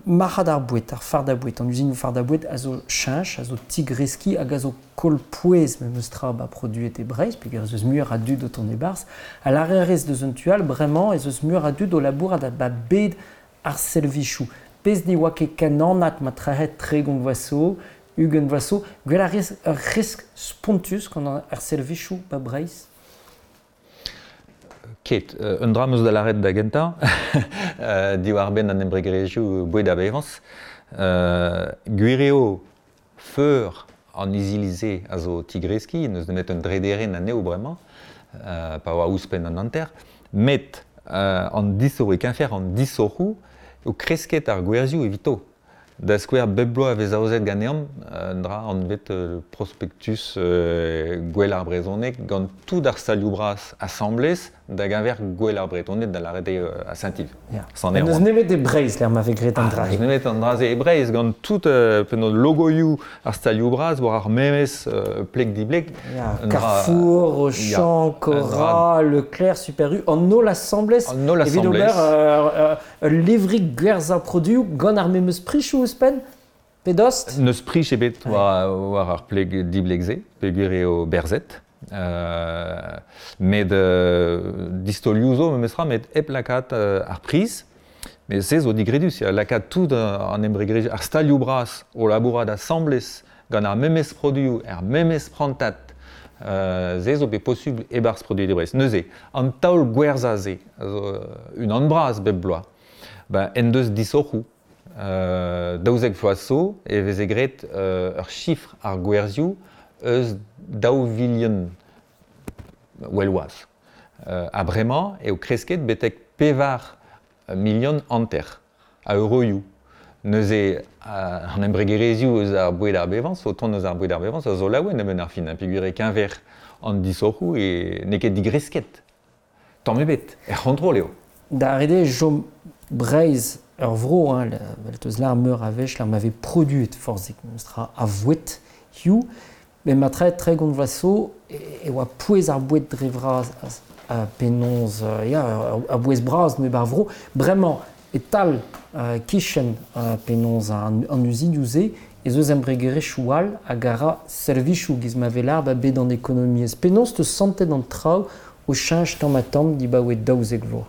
Marc'had ar boued, ar fardañ-boued, an uzinoù fardañ-boued a zo cheñch, a zo tigreskiñ hag a zo koll pouez memes tra ba produet e Breizh, peogwir ez eus muioc'h a dud o tont e-barzh. Ha lârerezh deus un tu all, bremañ ez eus muioc'h a dud o labourat ba bed ar servijoù. Pezh ne oa ket ken anat ma trec'hed 30 vloaz zo, 20 vloaz zo. Gwell a rez ur risk spontus gant ar servijoù ba Breizh? Ket. Un dra 'm eus da lâret da gentañ, diwar-benn an embregerezhioù boued ha bevañs. Gwir eo feur an izili-se a zo tigreskiñ, n'eus nemet un drederenn anezho bremañ, pa oa ouzhpenn an hanter. Met an disoc'h e-keñver an disoc'hoù eo kresket ar gwerzhioù evito. Da skouer, bep bloaz e vez aozet ganeomp un dra anvet prospektus Gouel ar Brezhoneg gant tout ar salioù bras asambles da geñver Gouel ar Bretoned, da lâret eo à Saint-Yves. Yeah. N'eus nemet e Breizh lec'h ma vez graet an dra-se. N'eus nemet an dra-se e Breizh gant tout penaos logoioù ar stalioù bras war ar memes pleg-dibleg. Yeah. Carrefour, Auchan, Cora, Leclerc, Super U, an holl asambles an holl evit ober Ul levrig gwerzhañ produoù gant ar memes prichoù ouzhpenn pe dost? N'eus prich ebet war ar pleg dibleg-se, peogwir eo berzet. Met distaolioù zo memestra, met hep lakaat ar priz. Met se zo digredus, ya, lakaat tout an embregerezhioù, ar stalioù bras o labourat asambles gant ar memes produoù, er memes prantad, se zo bet posubl e-barzh Produit de Brest. Neuze, an taol gwerzhañ-se a zo unan bras bep bloaz, ben, en deus disoc'hoù. 12 vloaz zo e veze graet ur chifr ar gwerzhioù eus 2 vilion well-wazh. Ha bremañ eo kresket betek 4 milion hanter a euroioù. Neuze, an embregerezhioù eus ar boued ar bevañs, o tont eus ar boued ar bevañs, a zo laouen a-benn ar fin, peogwir e-keñver an disoc'hoù e n'eo ket digresket. Tamm ebet, er c'hontrol eo. Da ret eo chom Breizh ur vro, hein, vel teus lâr meur a wech, lec'h ma vez produet forzhik memestra a voued hiziv. Met ma 30 vloaz zo e oa pouez ar boued dre vras penaos ya, ur bouez bras neuze ar vro. Bremañ e-tal kichen penaos an uzinioù-se ez eus embregerezhioù all hag a ra servijoù giz ma vez lâr ba bed an ekonomiezh. Penaos 'teus santet an traoù o cheñch tamm-ha-tamm dibaoe 12 vloaz?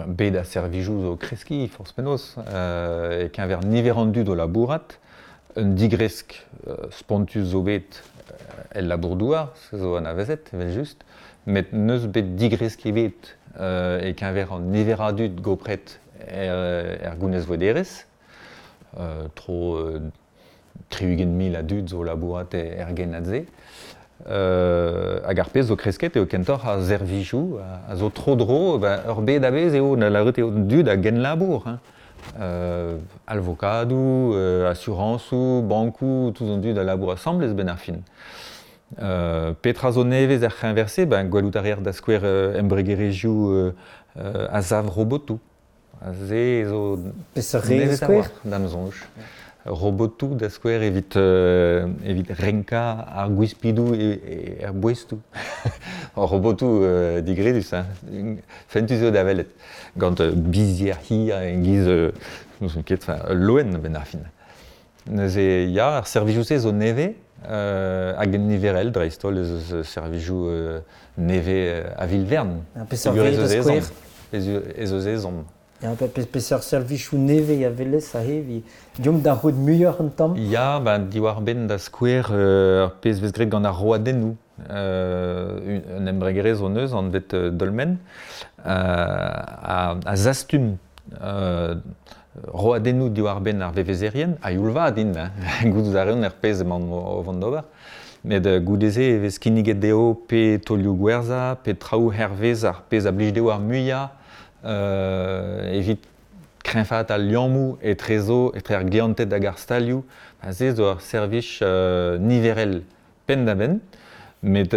Bed ar servijoù zo kreskiñ forzh penaos e-keñver niver an dud o labourat. Un digresk spontus zo bet el labour-douar, se zo anavezet evel-just, met n'eus bet digresk ebet e-keñver an niver a dud gopret er gounezvouederezh. Tro 60 000 a dud zo labourat er gennad-se. Hag ar pezh zo kresket eo kentoc'h ar servijoù a zo tro-dro, ben, ur bed a-bezh eo, da lavaret eo an dud a genlabour. Hein. Alvokadoù, asurañsoù, bankoù, tout an dud a labour asambles benn ar fin. Petra zo nevez er c'heñver-se? Ben, gwelout a reer da skouer embregerezhioù a sav robotoù. Se zo Peseurt re da skouer? Da'm soñj. Robotoù da skouer evit evit renkañ ar gwispidoù er boestoù. Robotoù digredus, hein. Fentus eo da welet. Gant bizhier hir e-giz n'ouzon ket, enfin, ul loen a-benn ar fin. Neuze ya, ar servijoù-se zo nevez hag en niverel dreist-holl ez eus servijoù nevez a vil-vern. Peseurt re da skouer? Ez eus ezhomm. Ya, peseurt servijoù nevez a welez aze evit deomp da c'hoût muioc'h un tamm? Ya, ba diwar-benn da skouer ar pezh vez graet gant ar roadennoù. Un embregerezh hon eus anvet Dolmen a zastum roadennoù diwar-benn ar vevezerien, a-youl vat int, hein, gouzout a reont er pezh emaon o vont d'ober. Met goude-se e vez kinniget dezho pe taolioù gwerzhañ, pe traoù hervez ar pezh a blij dezho ar muiañ evit kreñvaat al liammoù etrezo, etre ar glianted hag ar stalioù. Se zo ur servij niverel penn-da-benn, met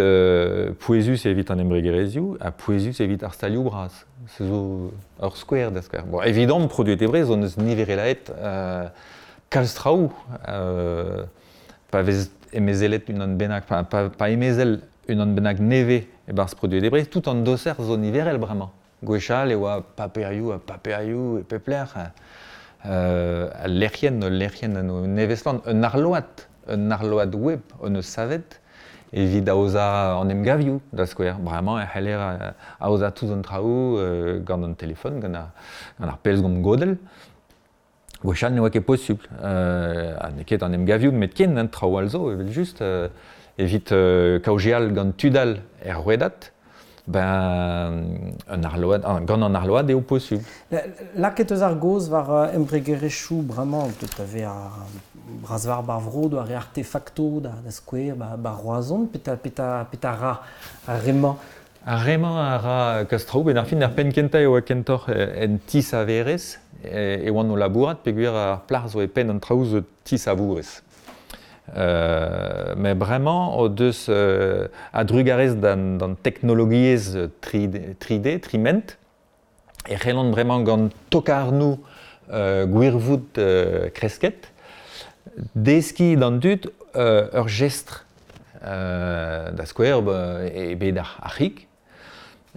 pouezus evit an embregerezhioù ha pouezus evit ar stalioù bras. Se zo ur skouer da skouer. Bon, evidomp, produet e Breizh, hon eus niverelaet kalz traoù. Pa vez emezelet unan bennak, pa emezel unan bennak nevez e-barzh produet e Breizh, tout an doser zo niverel bremañ. Gwechall e oa paperioù ha paperioù e pep lec'h. Al lec'hienn, ul lec'hienn nevez-flamm, un arload web hon eus savet evit aozañ an emgavioù, da skouer. Bremañ e c'heller aozañ tout an traoù gant an telefon, gant ar pellgomz godell. Gwechall ne oa ket posupl. Ha n'eo ket an emgavioù nemetken, hein, traoù all zo, evel-just. Evit kaozeal gant tud all er rouedad, ben, un arload, gant an arload eo posupl. Lakaet eus ar gaoz war embregerezhioù bremañ, deut da vezañ bras war ar vro, doare artefakto da skouer, ba Roazhon, petra ra ar re-mañ? Ar re-mañ a ra kalz traoù, benn ar fin, ar penn kentañ e oa kentoc'h en ti-saverezh e oan o labourat, peogwir ar plac'h zo e penn an traoù zo ti-savourez. Met bremañ o deus a-drugarez d'an teknologiezh 3D, triment, e c'hellont bremañ gant tokarnoù gwirvoud kresket, deskiñ d'an dud ur jestr. Da skouer, e bed ar c'hig,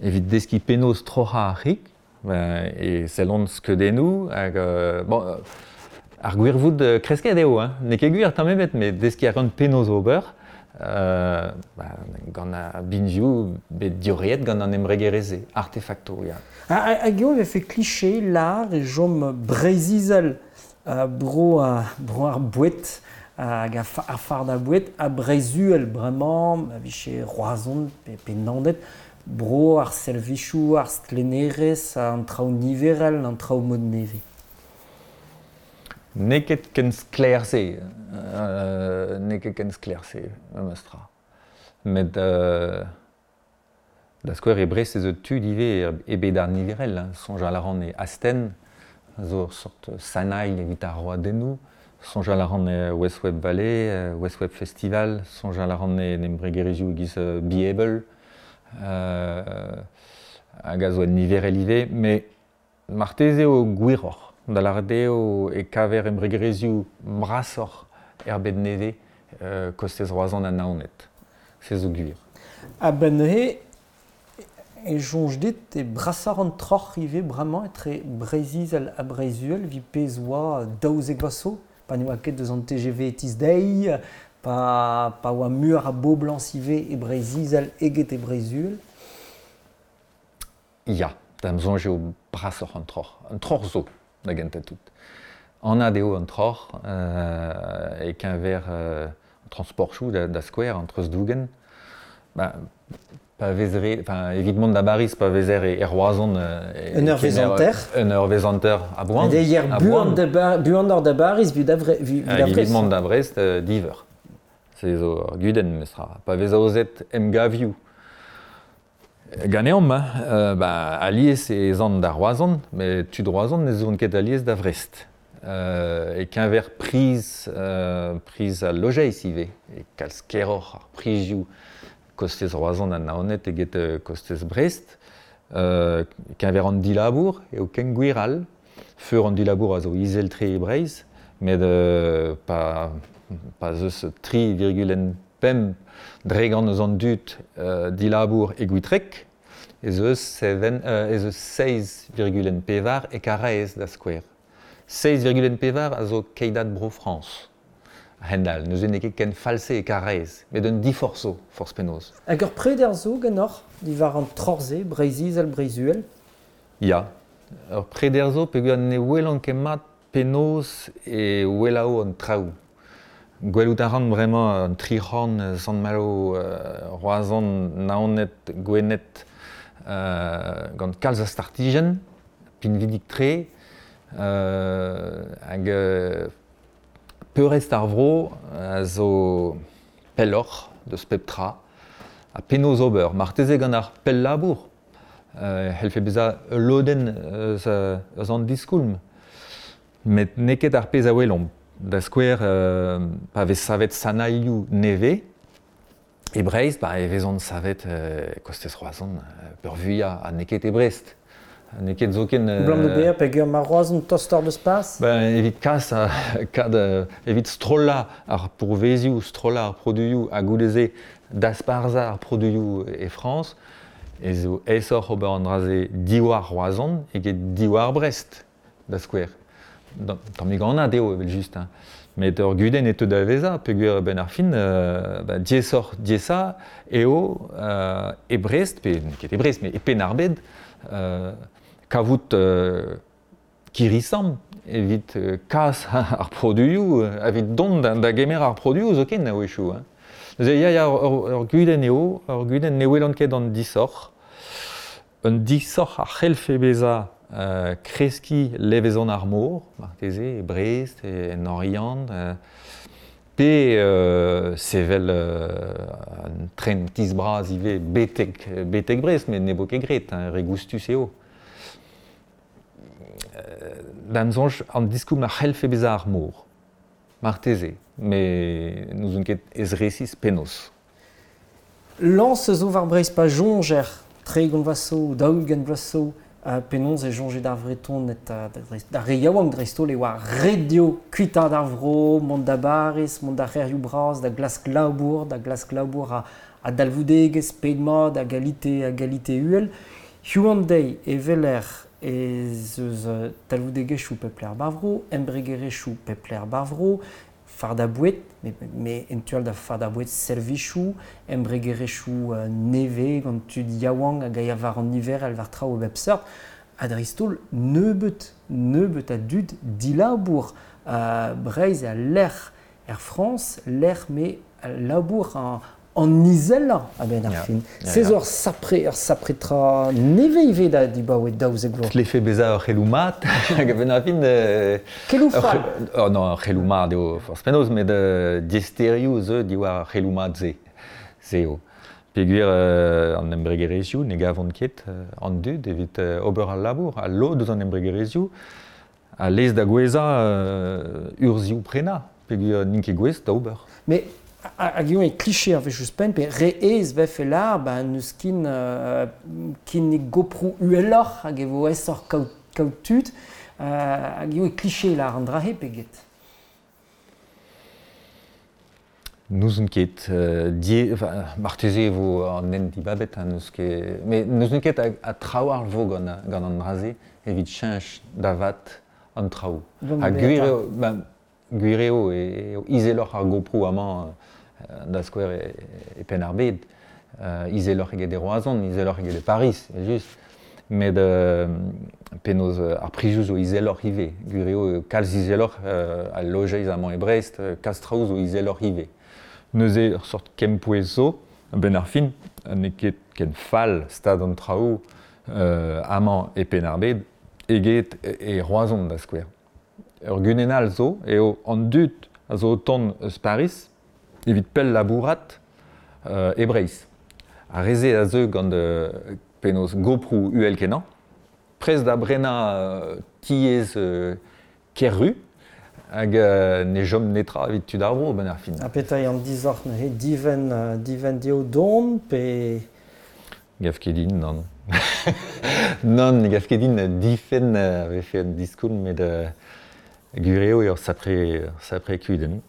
evit deskiñ penaos troc'hañ ar c'hig, e sellont skeudennoù hag bon, ar gwirvoud kresket eo, hein. N'eo ket gwir tamm ebet, met deskiñ a ran penaos ober gant ar binvioù bet diorreet gant an embregerezh-se, artefakto, ya. Hag eo e vefe kliché lar e chom Breizh-Izel bro ar boued hag ar fardañ boued ha Breizh-Uhel bremañ, a vije Roazhon pe Naoned, bro ar servijoù, ar stlennerezh, an traoù niverel, an traoù mod nevez. N'eo ket ken sklaer-se, n'eo ket ken sklaer-se, memes tra. Met da skouer e Brest ez eus tud ivez e bed ar niverel, hein. Soñjal a ran e Astenn, zo ur sort sanailh evit ar roadennoù. Soñjal a ran e West Web Valley, West Web Festival, soñjal a ran en embregerezhioù e-giz Be Able, hag a zo en niverel ivez, met marteze eo gwiroc'h, da lâret eo e kaver embregerezhioù brasoc'h er bed nevez, kostez Roazhon ha Naoned. Se zo gwir. A-benn neuze e soñj dit e brasoc'h an troc'h ivez bremañ etre Breizh-Izel ha Breizh-Uhel evit pezh oa 12 vloaz zo, pa ne oa ket eus an TGV e-tizh-deiz, pa oa muioc'h a boblañs ivez e Breizh-Izel eget e Breizh-Uhel. Ya, da'm soñj eo brasoc'h an troc'h. An troc'h zo, da gentañ tout. Anat eo an troc'h e-keñver transportioù da skouer, an treuzdougen. Pa vez re, enfin, evit mont da Bariz, pa vezer e Roazhon... Un eurvezh hanter. Un eurvezh hanter a boan. Buan da Bariz, vit da Brest. Evit mont da Brest, diveur. Se zo ur gudenn, memestra. Pa vez aozet emgavioù ganeomp, hein, alies ez an da Roazhon, met tud Roazhon ne zont ket alies da Vrest. E-keñver priz al lojeiz ivez, e kalz keroc'h ar prizioù kostez Roazhon ha Naoned eget kostez Brest. E-keñver an dilabour eo ken gwir all. Feur an dilabour a zo izel-tre e Breizh, met pa ez eus 3,5 dregant eus an dud dilabour e Gwitreg, ez eus 7,4 e Karaez da skouer. 6,4 a zo keidad Bro-Frañs. A-hend-all, neuze n'eo ket ken fall-se e Karaez, met un diforc'h zo, forzh penaos. Hag ur preder zo ganeoc'h diwar an troc'h-se, Breizh-Izel, Breizh-Uhel? Ya, ur preder zo peogwir ne welan ket mat penaos e welao an traoù. Gwelout a ran bremañ an tri c'horn Sant-Malo, Roazhon, Naoned, Gwened, gant kalz a startijenn, pinvidik-tre, hag peurrest ar vro a zo pelloc'h deus pep tra. Ha penaos ober? Marteze gant ar pell-labour. C'hellfe bezañ ul lodenn eus an diskoulm. Met n'eo ket ar pezh a welomp. Da skouer, pa vez savet sanailhoù nevez, e Breizh, ba, e vezont savet kostez Roazhon peurvuiañ, ha n'eo ket e Brest. N'eo ket zoken... Blam da bezañ peogwir ma Roazhon tostoc'h deus pas? Ben, evit kas, kad, evit strollañ ar pourvezioù, strollañ ar produioù, ha goude-se dasparzhañ ar produioù e Frañs, ez eo aesoc'h ober an dra-se diwar Roazhon eget diwar Brest, da skouer. Tammig anat eo evel-just, hein. Met ur gudenn e teu da vezañ peogwir a-benn ar fin ba, diaesoc'h diaesañ eo e Brest, pe n'eo ket e Brest, met e Penn-ar-Bed, kavout kirri-samm evit kas ar produioù, evit dont da gemer ar produioù zoken a-wechoù. Hein. Neuze ya, ya, ur gudenn eo, ur gudenn ne welan ket an disoc'h. Un disoc'h a c'hellfe bezañ kreskiñ levezon ar mor, marteze, e Brest, en Oriant, pe sevel un tren tizh bras ivez betek Brest, met ne vo ket graet, hein, re goustus eo. Da'm soñj, an diskoulm a c'hellfe bezañ ar mor, marteze, met n'ouzon ket ez-resis penaos. Lañs zo war Breizh pa soñjer 30 vloaz zo, 40 vloaz zo, penaos e soñje d'ar Vretoned, d'ar re yaouank dreist-holl, e oa ret dezho kuitaat ar vro, mont da Bariz, mont d'ar c'hêrioù bras, da glask labour, da glask labour a dalvoudegezh, ped mat, a galite uhel. Hiziv an deiz e weler ez eus talvoudegezhioù pep lec'h bar vro, embregerezhioù pep lec'h bar vro, fardañ boued, met en tu all da fardañ boued servijoù, embregerezhioù nevez gant tud yaouank hag a ya war an niverel war traoù a bep seurt, ha dreist-holl nebeut a dud dilabour. Breizh eo al lec'h er Frañs, lec'h me labour an izelañ a-benn ar fin. Se zo ur sapre tra nevez ivez da dibaoe 12 vloaz. Tlefe bezañ ur c'heloù mat hag a-benn ar fin... Keloù fall. Oh non, ur c'heloù mat eo forzh penaos, met diaesterioù zo diwar ar c'heloù mat-se. Se eo. Peogwir an embregerezhioù ne gavont ket an dud evit ober al labour, al lod eus an embregerezhioù a lez da gouezhañ urzhioù prenañ, peogwir n'int ket gouest da ober. Mais hag eo e kliché ar wech ouzhpenn, pe re aes vefe lâr, ba n'eus kin kinnig goproù uheloc'h hag e vo aesoc'h kaout tud, hag eo e kliché lâr an dra-se pe get? N'ouzon ket. Marteze e vo an hent dibabet, hein, n'eus ket... Mais n'ouzon ket ha trawalc'h vo gant an dra-se evit cheñch da vat an traoù. Ha gwir eo, ben, gwir eo eo izeloc'h ar goproù amañ da skouer e Penn-ar-Bed, izeloc'h eget e Roazhon, izeloc'h eget e Pariz, just. Met penaos ar prizioù zo izeloc'h ivez. Gwir eo kalz izeloc'h al lojeiz amañ e Brest, kalz traoù zo izeloc'h ivez. Neuze ur seurt kempouez zo, a-benn ar fin, n'eo ket ken fall stad an traoù amañ e Penn-ar-Bed eget e Roazhon da skouer. Ur gudenn all zo eo an dud a zo o tont eus Pariz evit pell labourat e Breizh. Ar re-se a zeu gant penaos goproù uhel-kenañ, prest da brenañ tiez ker-ru, hag ne chom netra evit tud ar vro a-benn ar fin. Ha petra eo an disoc'h neuze? Divenn dezho dont pe... Gav ket din, nann. Nann, ne gav ket din difenn a vefe un diskoulm, met gwir eo ur sapre kudenn.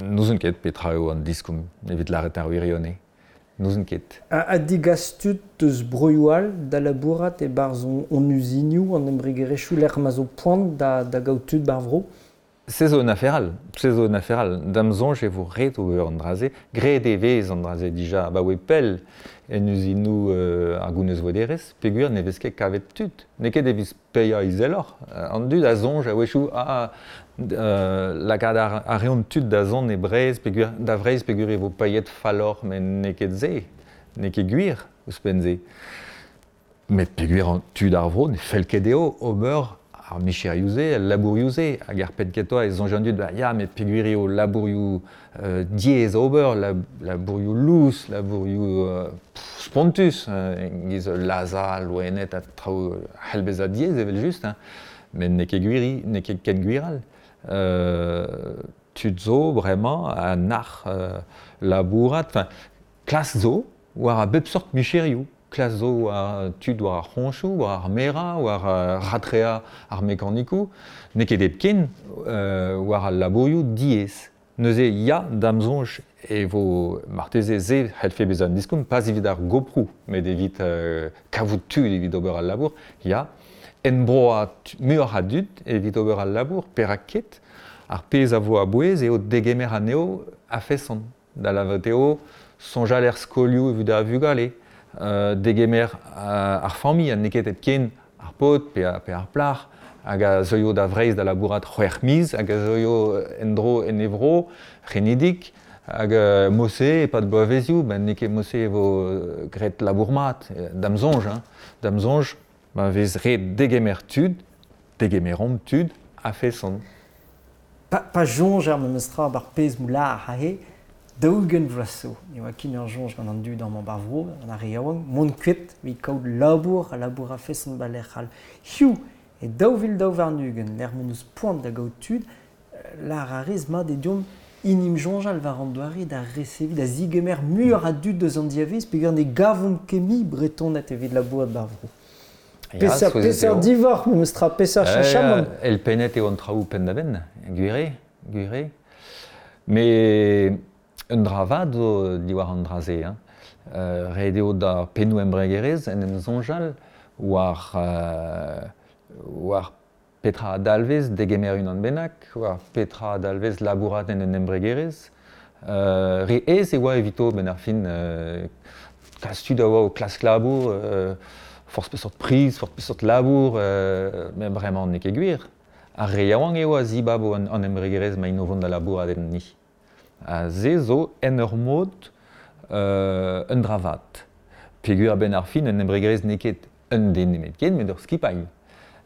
N'ouzon ket petra eo an diskoulm evit lâret ar wirionez. N'ouzon ket. Ha degas tud eus broioù all da labourat e-barzh hon uzinioù, an embregerezhioù lec'h ma zo poan da gaout tud ba'r vro? Se zo un afer all, se zo un afer all. Da'm soñj e vo ret ober an dra-se. Graet e vez an dra-se dija abaoe pell en uzinoù ar gounezvouederezh, peogwir ne vez ket kavet tud. N'eo ket evit paeañ izeloc'h. An dud a soñj a-wechoù, ah, Lakaat a reont tud da zont e Breizh peogwir da Vreizh peogwir e vo paeet falloc'h met n'eo ket se, n'eo ket gwir ouzhpenn-se. Met peogwir an tud ar vro ne fell ket dezho ober ar micherioù-se, al labourioù-se, hag ar penn kentañ e soñj an dud, bah ya, met peogwir eo labourioù diaes ober, labourioù lous, labourioù spontus, e-giz lazhañ loened ha traoù a c'hell bezañ diaes evel-just, hein. Met n'eo ket gwir, n'eo ket ken gwir all. Tud zo bremañ a nac'h labourat, enfin, klas zo war a bep seurt micherioù. Klas zo war tud war ar c'hoñchoù, war ar merañ, war ratreañ ar mekanikoù. N'eo ket hepken war al labourioù diaes. Neuze ya, da'm soñj e vo marteze se c'hellfe bezañ un diskoulm, pas evit ar goproù, met evit kavout tud evit ober al labour, ya. Enbroañ muioc'h a dud evit ober al labour, perak ket? Ar pezh a vo a-bouez eo degemer anezho a-feson. Da lavaret eo soñjal er skolioù evit ar vugale, degemer ar familh ha n'eo ket hepken ar paotr pe ar plac'h hag a zeuio da Vreizh da labourat c'hwec'h miz hag a zeuio en-dro en e vro, c'henidik, hag mod-se e-pad bloavezioù, ben n'eo ket mod-se e vo graet labour mat, da'm soñj, hein. Da'm soñj, ma vez ret degemer tud, degemeromp tud a-feson. Pa soñjer memes tra 'bar pezh moular aze, 40 vloaz zo ne oa ket ur soñj gant an dud amañ 'bar vro, gant ar re yaouank, mont kuit evit kaout labour ha labour a-feson 'ba lec'h all. Hiziv, e 2022, lec'h m'hon eus poan da gaout tud, lâr a rez mat eo deomp inim soñjal war an doare da reseviñ, da zigemer muioc'h a dud eus an diavaez peogwir ne gavomp ket mui Bretoned evit labourat 'bar vro. Peseurt divorc'h memes tra, peseurt cheñchamant? Elpennet eo an traoù penn-da-benn, gwir eo, gwir eo. Met un dra vat zo diwar an dra-se. Hein. Ret eo d'ar pennoù embregerezh en em soñjal war, war petra a dalvez degemer unan bennak, war petra a dalvez labourat en un embregerezh. Re aes e oa evito a-benn ar fin. Kalz tud a oa o klask labour, forzh peseurt priz, forzh peseurt labour, met bremañ n'eo ket gwir. Ar re yaouank eo a zibabo an embregerezh ma int o vont da labourat enni. Ha se zo en ur mod un dra vat. Peogwir a-benn ar fin un embregerezh n'eo ket un den nemetken, met ur skipailh.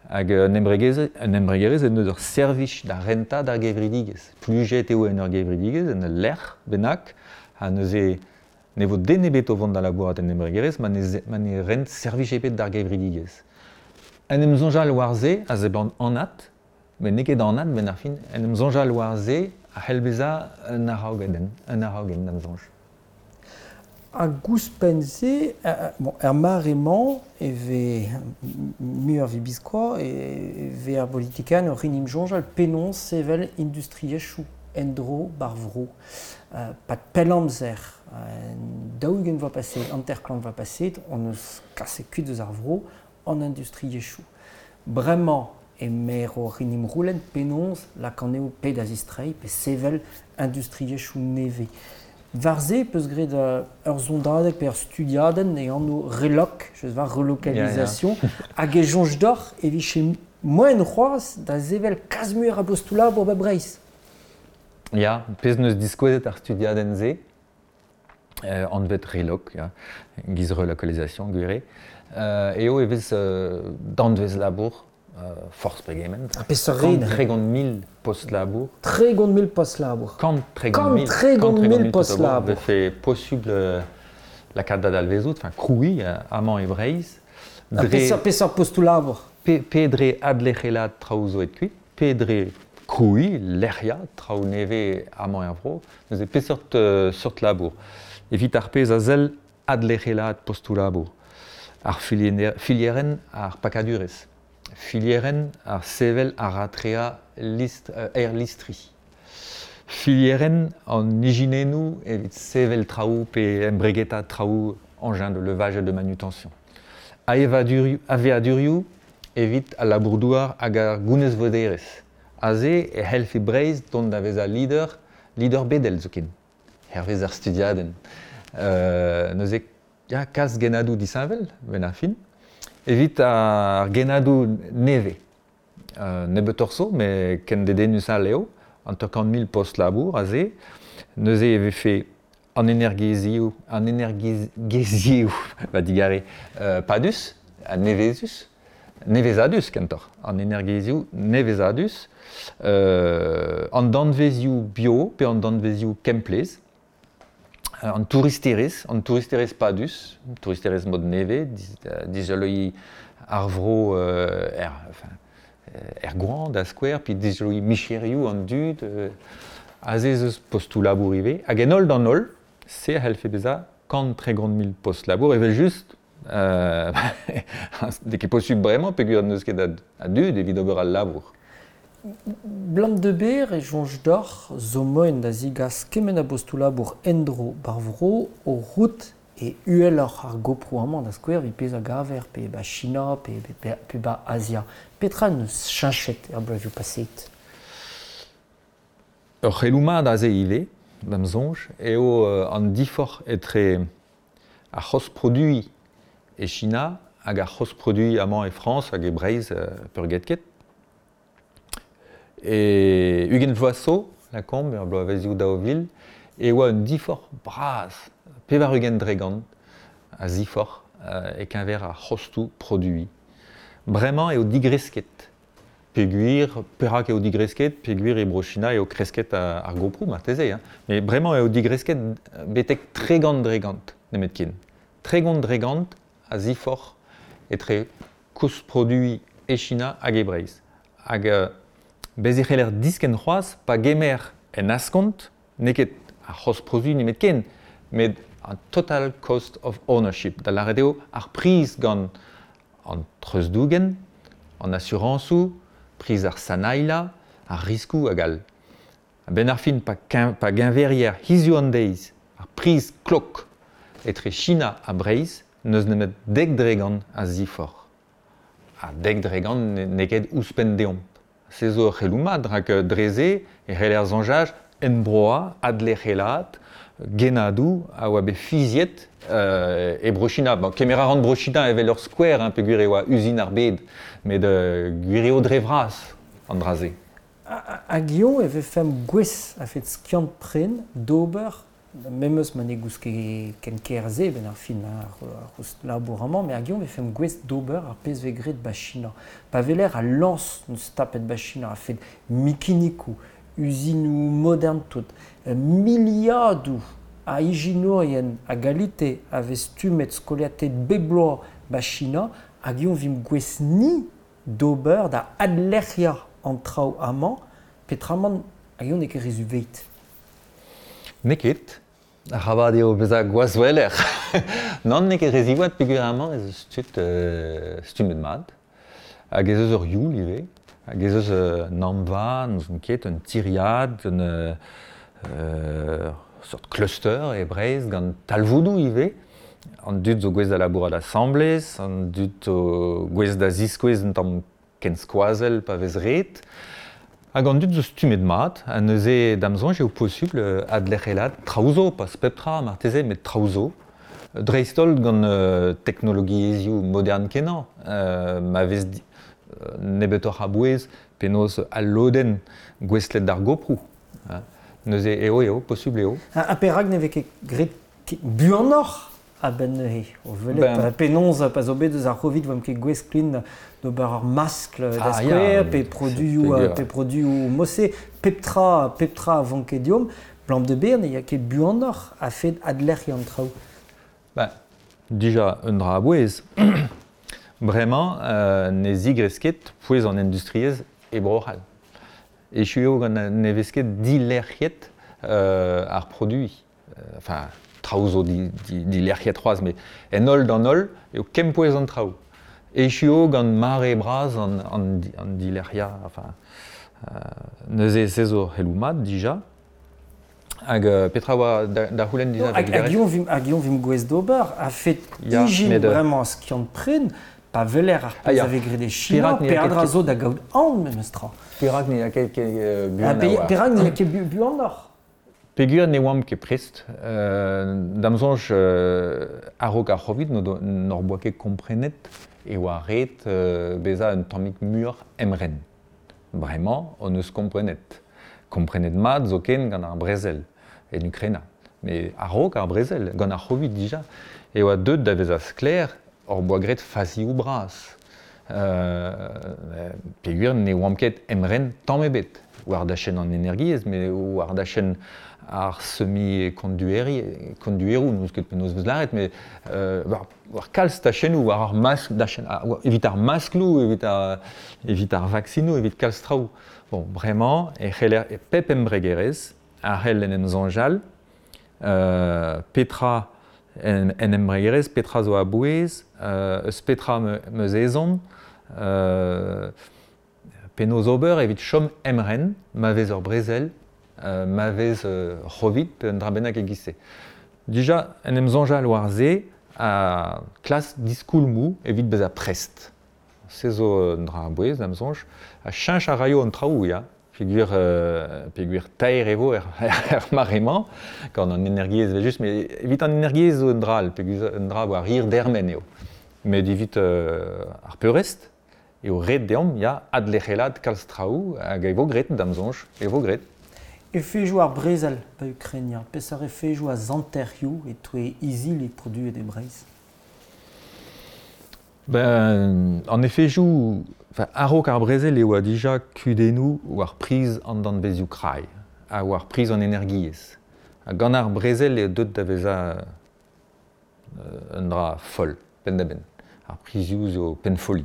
Hag un embregerezh en deus ur servij da rentañ d'ar gevredigezh. Plujet eo en ur gevredigezh, en ul lec'h bennak, ha neuze ne vo den ebet o vont da labourat en embregerezh ma ne rent servij ebet d'ar gevredigezh. En em soñjal war se a seblant anat, met n'eo ket anat benn ar fin. En em soñjal war se a c'hell bezañ un araogenn, un araogenn da'm soñj. Hag ouzhpenn-se, bon, er mare-mañ e vez muioc'h evit biskoazh e vez ar politikerien oc'h en em soñjal penaos sevel industriezhioù en-dro ba'r vro. Pad pell amzer, 40 vloaz paseet, 50 vloaz paseet, hon eus kaset kuit eus ar vro an industriezhioù. Bremañ emaer oc'h en em c'houlenn penaos lakaat anezho pe da zistreiñ pe sevel industriezhioù nevez. War se peus graet ur sondadeg pe ur studiadenn e anv Reloc, je war relocalisation, hag e soñj deoc'h e vije moaien c'hoazh da sevel kalz muioc'h a bostoù labour 'ba Breizh? Ya, pezh 'neus diskouezet ar studiadenn-se, anvet Reloc, ya, giz relocalisation gwir eo, eo e vez danvez labour forzh pegement. Ha peseurt red? 30 000 post-labour. 30 000 post-labour. 30 000 post-labour. Vefe posubl lakaat da dalvezout, enfin krouiñ amañ e Breizh. Dre peseurt postoù labour? Pe dre adlec'helaat traoù zo aet kuit, pe dre krouiñ, lec'hiañ traoù nevez amañ er vro. Neuze peseurt seurt labour? Evit ar pezh a sell adlec'helaat postoù labour, ar filierenn ar pakadurezh, filierenn ar sevel ar ratreañ aerlistri, filierenn an ijinennoù evit sevel traoù pe embregetañ traoù engin de levage et de manutention, aveadurioù evit al labour-douar hag ar gounezvouederezh. Aze e c'hellfe Breizh dont da vezañ leader, leader bedel zoken, hervez ar studiadenn. Neuze ya, kalz gennadoù disheñvel, benn ar fin, evit ar gennadoù nevez. Nebeutoc'h zo, met ken dedennus all eo, 50 000 post labour aze. Neuze e vefe an energiezhioù, an energiezhioù, va digare, padus, ha nevezus, nevezadus kentoc'h, an energiezhioù nevezadus, an danvezioù bio pe an danvezioù kemplezh, an touristerezh, an touristerezh padus, touristerezh mod nevez, dizoloiñ ar vro er, enfin, er goañv da skouer, pe dizoloiñ micherioù an dud, aze ez eus postoù labour ivez, hag en holl d'an holl, se a c'hellfe bezañ 130 000 post labour, evel-just, n'eo ket posubl bremañ peogwir n'eus ket a dud evit ober al labour. Blam de ber e soñj deoc'h zo moaien da zigas kement a bostoù labour en-dro b'ar vro o rout e uheloc'h ar goproù amañ da skouer evit pezh a gaver pe 'ba China pe pe 'ba Azia. Petra 'neus cheñchet er bloavezhioù paseet? Ur c'heloù mat aze ivez, da'm soñj, eo an diforc'h etre ar c'host produiñ e China hag ar c'host produiñ amañ e Frañs hag e Breizh peurgetket. E 20 vloaz zo, lakaomp, er bloavezhioù 2000, e oa un diforc'h bras, 80% a ziforc'h e-keñver ar c'hostoù produiñ. Bremañ eo digresket. Peogwir, perak eo digresket? Peogwir e Bro-China eo kresket ar goproù marteze, hein. Met bremañ eo digresket betek 30% nemetken. 30% a ziforc'h etre koust produiñ e China hag e Breizh. Hag bez' e c'heller diskenn c'hoazh pa gemer en askont, n'eo ket ar c'host produiñ nemetken, met an total cost of ownership, da lâret eo ar priz gant an treuzdougen, an asurañsoù, priz ar sanailhañ, ar riskoù hag all. A-benn ar fin, pa geñverier hiziv an deiz ar priz klok etre China ha Breizh, n'eus nemet 10% a ziforc'h. Ha 10% n'eo ket ouzhpenn deomp. Se zo ur c'heloù mat, rak dre-se e c'heller soñjal enbroañ, adlec'helaat, gennadoù a oa bet fiziet e Bro-China. Bon, kemer a ran Bro-China evel ur skouer, hein, peogwir e oa uzin ar bed, met gwir eo dre vras an dra-se. Hag hiziv e vefemp gouest a-fet skiant-pren d'ober, memes ma ne goust ket ken ker-se benn ar fin ar c'houst labour amañ, met hag hiziv e vefemp gouest d'ober ar pezh 'vez graet 'ba China. Pa weler al lañs 'neus tapet 'ba China a-fet mikinikoù, uzinoù modern-tout, miliadoù a ijinourien a galite a vez stummet skoliataet bep bloaz 'ba China, hag hiziv 'vimp gouest-ni d'ober da adlec'hiañ an traoù amañ, peotramant hag hiziv n'eo ket re zu-veit. N'eo ket. Arabat eo bezañ gwazhweler. Nann, n'eo ket re ziwezhat peogwir amañ ez eus tud stummet mat. Hag ez eus ur youl ivez. Hag ez eus un amva, n'ouzon ket, un tiriad, un seurt cluster e Breizh gant talvoudoù ivez. An dud zo gouest da labourat asambles, an dud zo gouest da ziskouez un tamm kenskoazell pa vez ret. Hag an dud zo stummet mat, ha neuze da'm soñj eo posubl adlec'helaat traoù zo, pas pep tra marteze, met traoù zo. Dreist-holl gant teknologiezhioù modern-kenañ, ma vez nebeutoc'h a bouez penaos al lodenn gouestlet d'ar goproù. Neuze eo eo, posubl eo. Ha perak ne vez ket graet buanoc'h a-benn neuze? O welet penaos pa zo bet eus ar Covid 'oamp ket gouest ken d'ober ur maskl da skouer, pe produioù pe produioù mod-se, pep tra pep tra a vanke deomp. Blam de ber ne ya ket buanoc'h a-fet adlec'hiañ an traoù. Ben, dija un dra a-bouez. Bremañ ne zigresk ket pouez an industriezh e Bro-C'hall. Echu eo gant ne vez ket dilec'hiet ar produiñ. Enfin, traoù zo dilec'hiet c'hoazh, met en holl d'an holl eo kempouez an traoù. Echu eo gant mare bras an dilec'hiañ. Enfin, neuze se zo ur c'heloù mat dija. Hag petra oa da c'houlenn dija? Hag eñ vimp gouest d'ober a-fet ijin bremañ skiant-pren pa weler ar pezh a vez graet e China, peadra zo da gaout aon memes tra. Perak ne ya ket buan Perak ne ya ket buanoc'h? Peogwir ne oamp ket prest. Da'm soñj a-raok ar C'hovid n'hor boa ket komprenet e oa ret bezañ un tammig muioc'h emren. Bremañ hon eus komprenet. Komprenet mat zoken gant ar brezel en Ukraina. Met a-raok ar brezel, gant ar C'hovid dija, e oa deuet da vezañ sklaer hor boa graet fazioù bras. Peogwir ne oamp ket emren tamm ebet war dachenn an energiezh, met war dachenn ar semi-kondueroù, n'eus ket penaos vez lâret, met war kalz tachennoù, war ar maskl, evit ar maskloù, evit ar vaksinoù, evit kalz traoù. Bon, bremañ e c'heller e pep embregerezh a c'hell en em soñjal petra en embregerezh, petra zo a-bouez, eus petra 'm eus ezhomm, penaos ober evit chom emren ma vez ur brezel, ma vez C'hovid pe un dra bennak e-giz-se. Dija, en em soñjal war se ha klask diskoulmoù evit bezañ prest. Se zo un dra a-bouez, da'm soñj. Ha cheñch a raio an traoù, ya. Peogwir, peogwir taer e vo er mare-mañ, gant an energiezh evel-just, met evit an energiezh zo un dra all, peogwir un dra war hir dermen eo. Met evit ar peurrest eo ret deomp, ya, adlec'helaat kalz traoù hag e vo graet, da'm soñj, e vo graet. Efedoù ar brezel 'ba Ukraina, peseurt efedoù a zanterioù e-touez izili produet e Breizh? Ben, an efedoù, enfin, a-raok ar brezel e oa dija kudennoù war priz an danvezioù krai ha war priz an energiezh. Ha gant ar brezel eo deuet da vezañ un dra foll, penn-da-benn. Ar prizioù zo pennfolliñ.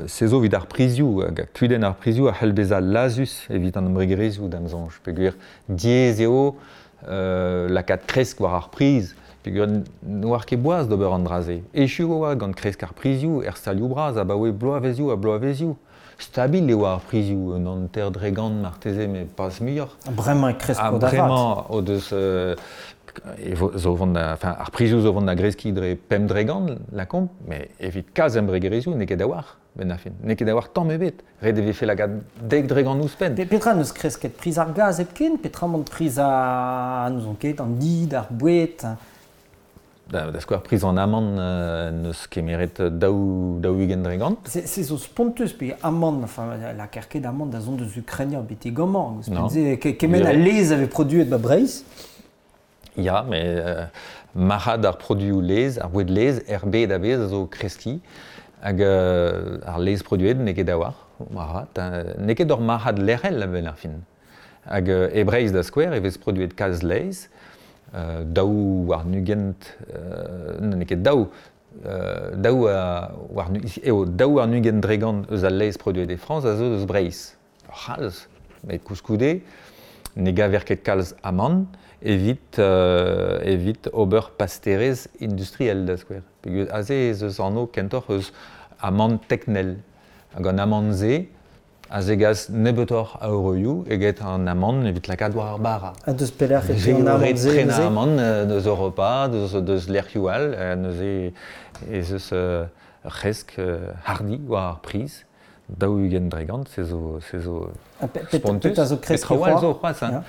Se zo evit ar prizioù, hag kudenn ar prizioù a c'hell bezañ lazhus evit an embregerezhioù da'm soñj, peogwir diaes eo lakaat kresk war ar priz, peogwir n'oar ket boaz d'ober an dra-se. Echu e oa gant kresk ar prizioù er stalioù bras abaoe bloavezioù ha bloavezioù. Stabil e oa ar prizioù, un 50% marteze, met pas muioc'h. Bremañ e kresko da vat. Bremañ o deus zo vont da, enfin, ar prizioù zo vont da greskiñ dre 5%, lakaomp, met evit kalz embregerezhioù n'eo ket a-walc'h, benn ar fin. N'eo ket a-walc'h tamm ebet. Ret e vefe lakaat 10% ouzhpenn. Petra n'eus kresket priz ar gaz hepken? Petra emañ priz ar, n'ouzon ket, an did, ar boued? Da skouer, priz an amann n'eus kemeret 40%. Se zo spontus, pe amann, enfin, lakaer ket amann da zont eus Ukraina betek amañ. Ouzhpenn-se, kement a laezh a vez produet ba Breizh. Ya, met marc'had ar produioù laezh, ar boued laezh er bed a-bezh a zo kreskiñ. Hag ar laezh produet n'eo ket a-walc'h, moarvat. N'eo ket ur marc'had lec'hel a-benn ar fin. Hag e Breizh da skouer e vez produet kalz laezh, 22, n'eo ket daou, daou war eo 22% eus al laezh produet e Frañs a zo eus Breizh. Ur c'halz, met koulskoude ne gaver ket kalz amann evit evit ober pasterezh industriel da skouer. Peogwir aze ez eus anv kentoc'h eus amann teknel. Hag an amann-se a zegas nebeutoc'h a euroioù eget an amann evit lakaat war ar bara. Ha deus pelec'h e teu an amann-se? Ret prenañ amann deus Europa, deus lec'hioù all. Neuze ez eus ur c'hresk hardi war ar priz. 20%, se zo, se zo spontus. Petra zo kresk Traoù all zo c'hoazh. Hein.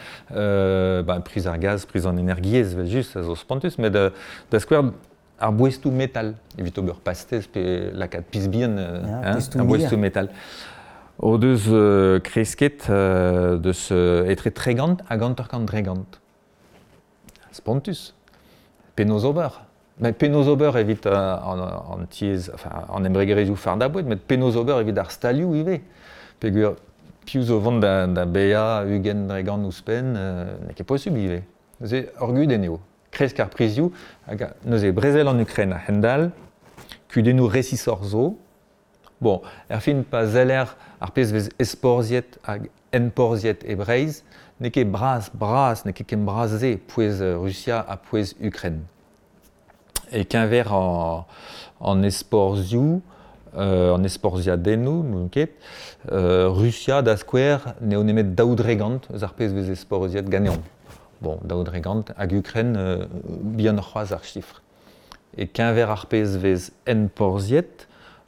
Ba, priz ar gaz, priz an energiezh, evel-just, a zo spontus. Met da skouer, ar boestoù metal, evit ober pastez pe lakaat piz bihan, hein, ar boestoù metal, o deus kresket deus etre 30 hag 50%. Spontus. Penaos ober? Met penaos ober evit an tiez, enfin, an embregerezhioù fardañ boued, met penaos ober evit ar stalioù ivez? Peogwir piv zo vont da baeañ 20% ouzhpenn, n'eo ket posubl ivez. Neuze ur gudenn eo. Kresk ar prizioù, hag neuze brezel an Ukraine a-hend-all, kudennoù resisoc'h zo. Bon, erfin, pa seller ar pezh vez ezporzhiet hag enporzhiet e Breizh, n'eo ket bras-bras, n'eo ket ken bras-se pouez Rusia ha pouez Ukraine. E-keñver an ezporzhioù, an ezporzhiadennoù, n'ouzon ket, Rusia, da skouer, n'eo nemet 2% eus ar pezh vez ezporzhiet ganeomp. Bon, 2% hag Ukraine, bihanoc'h c'hoazh ar sifr. E-keñver ar pezh vez enporzhiet,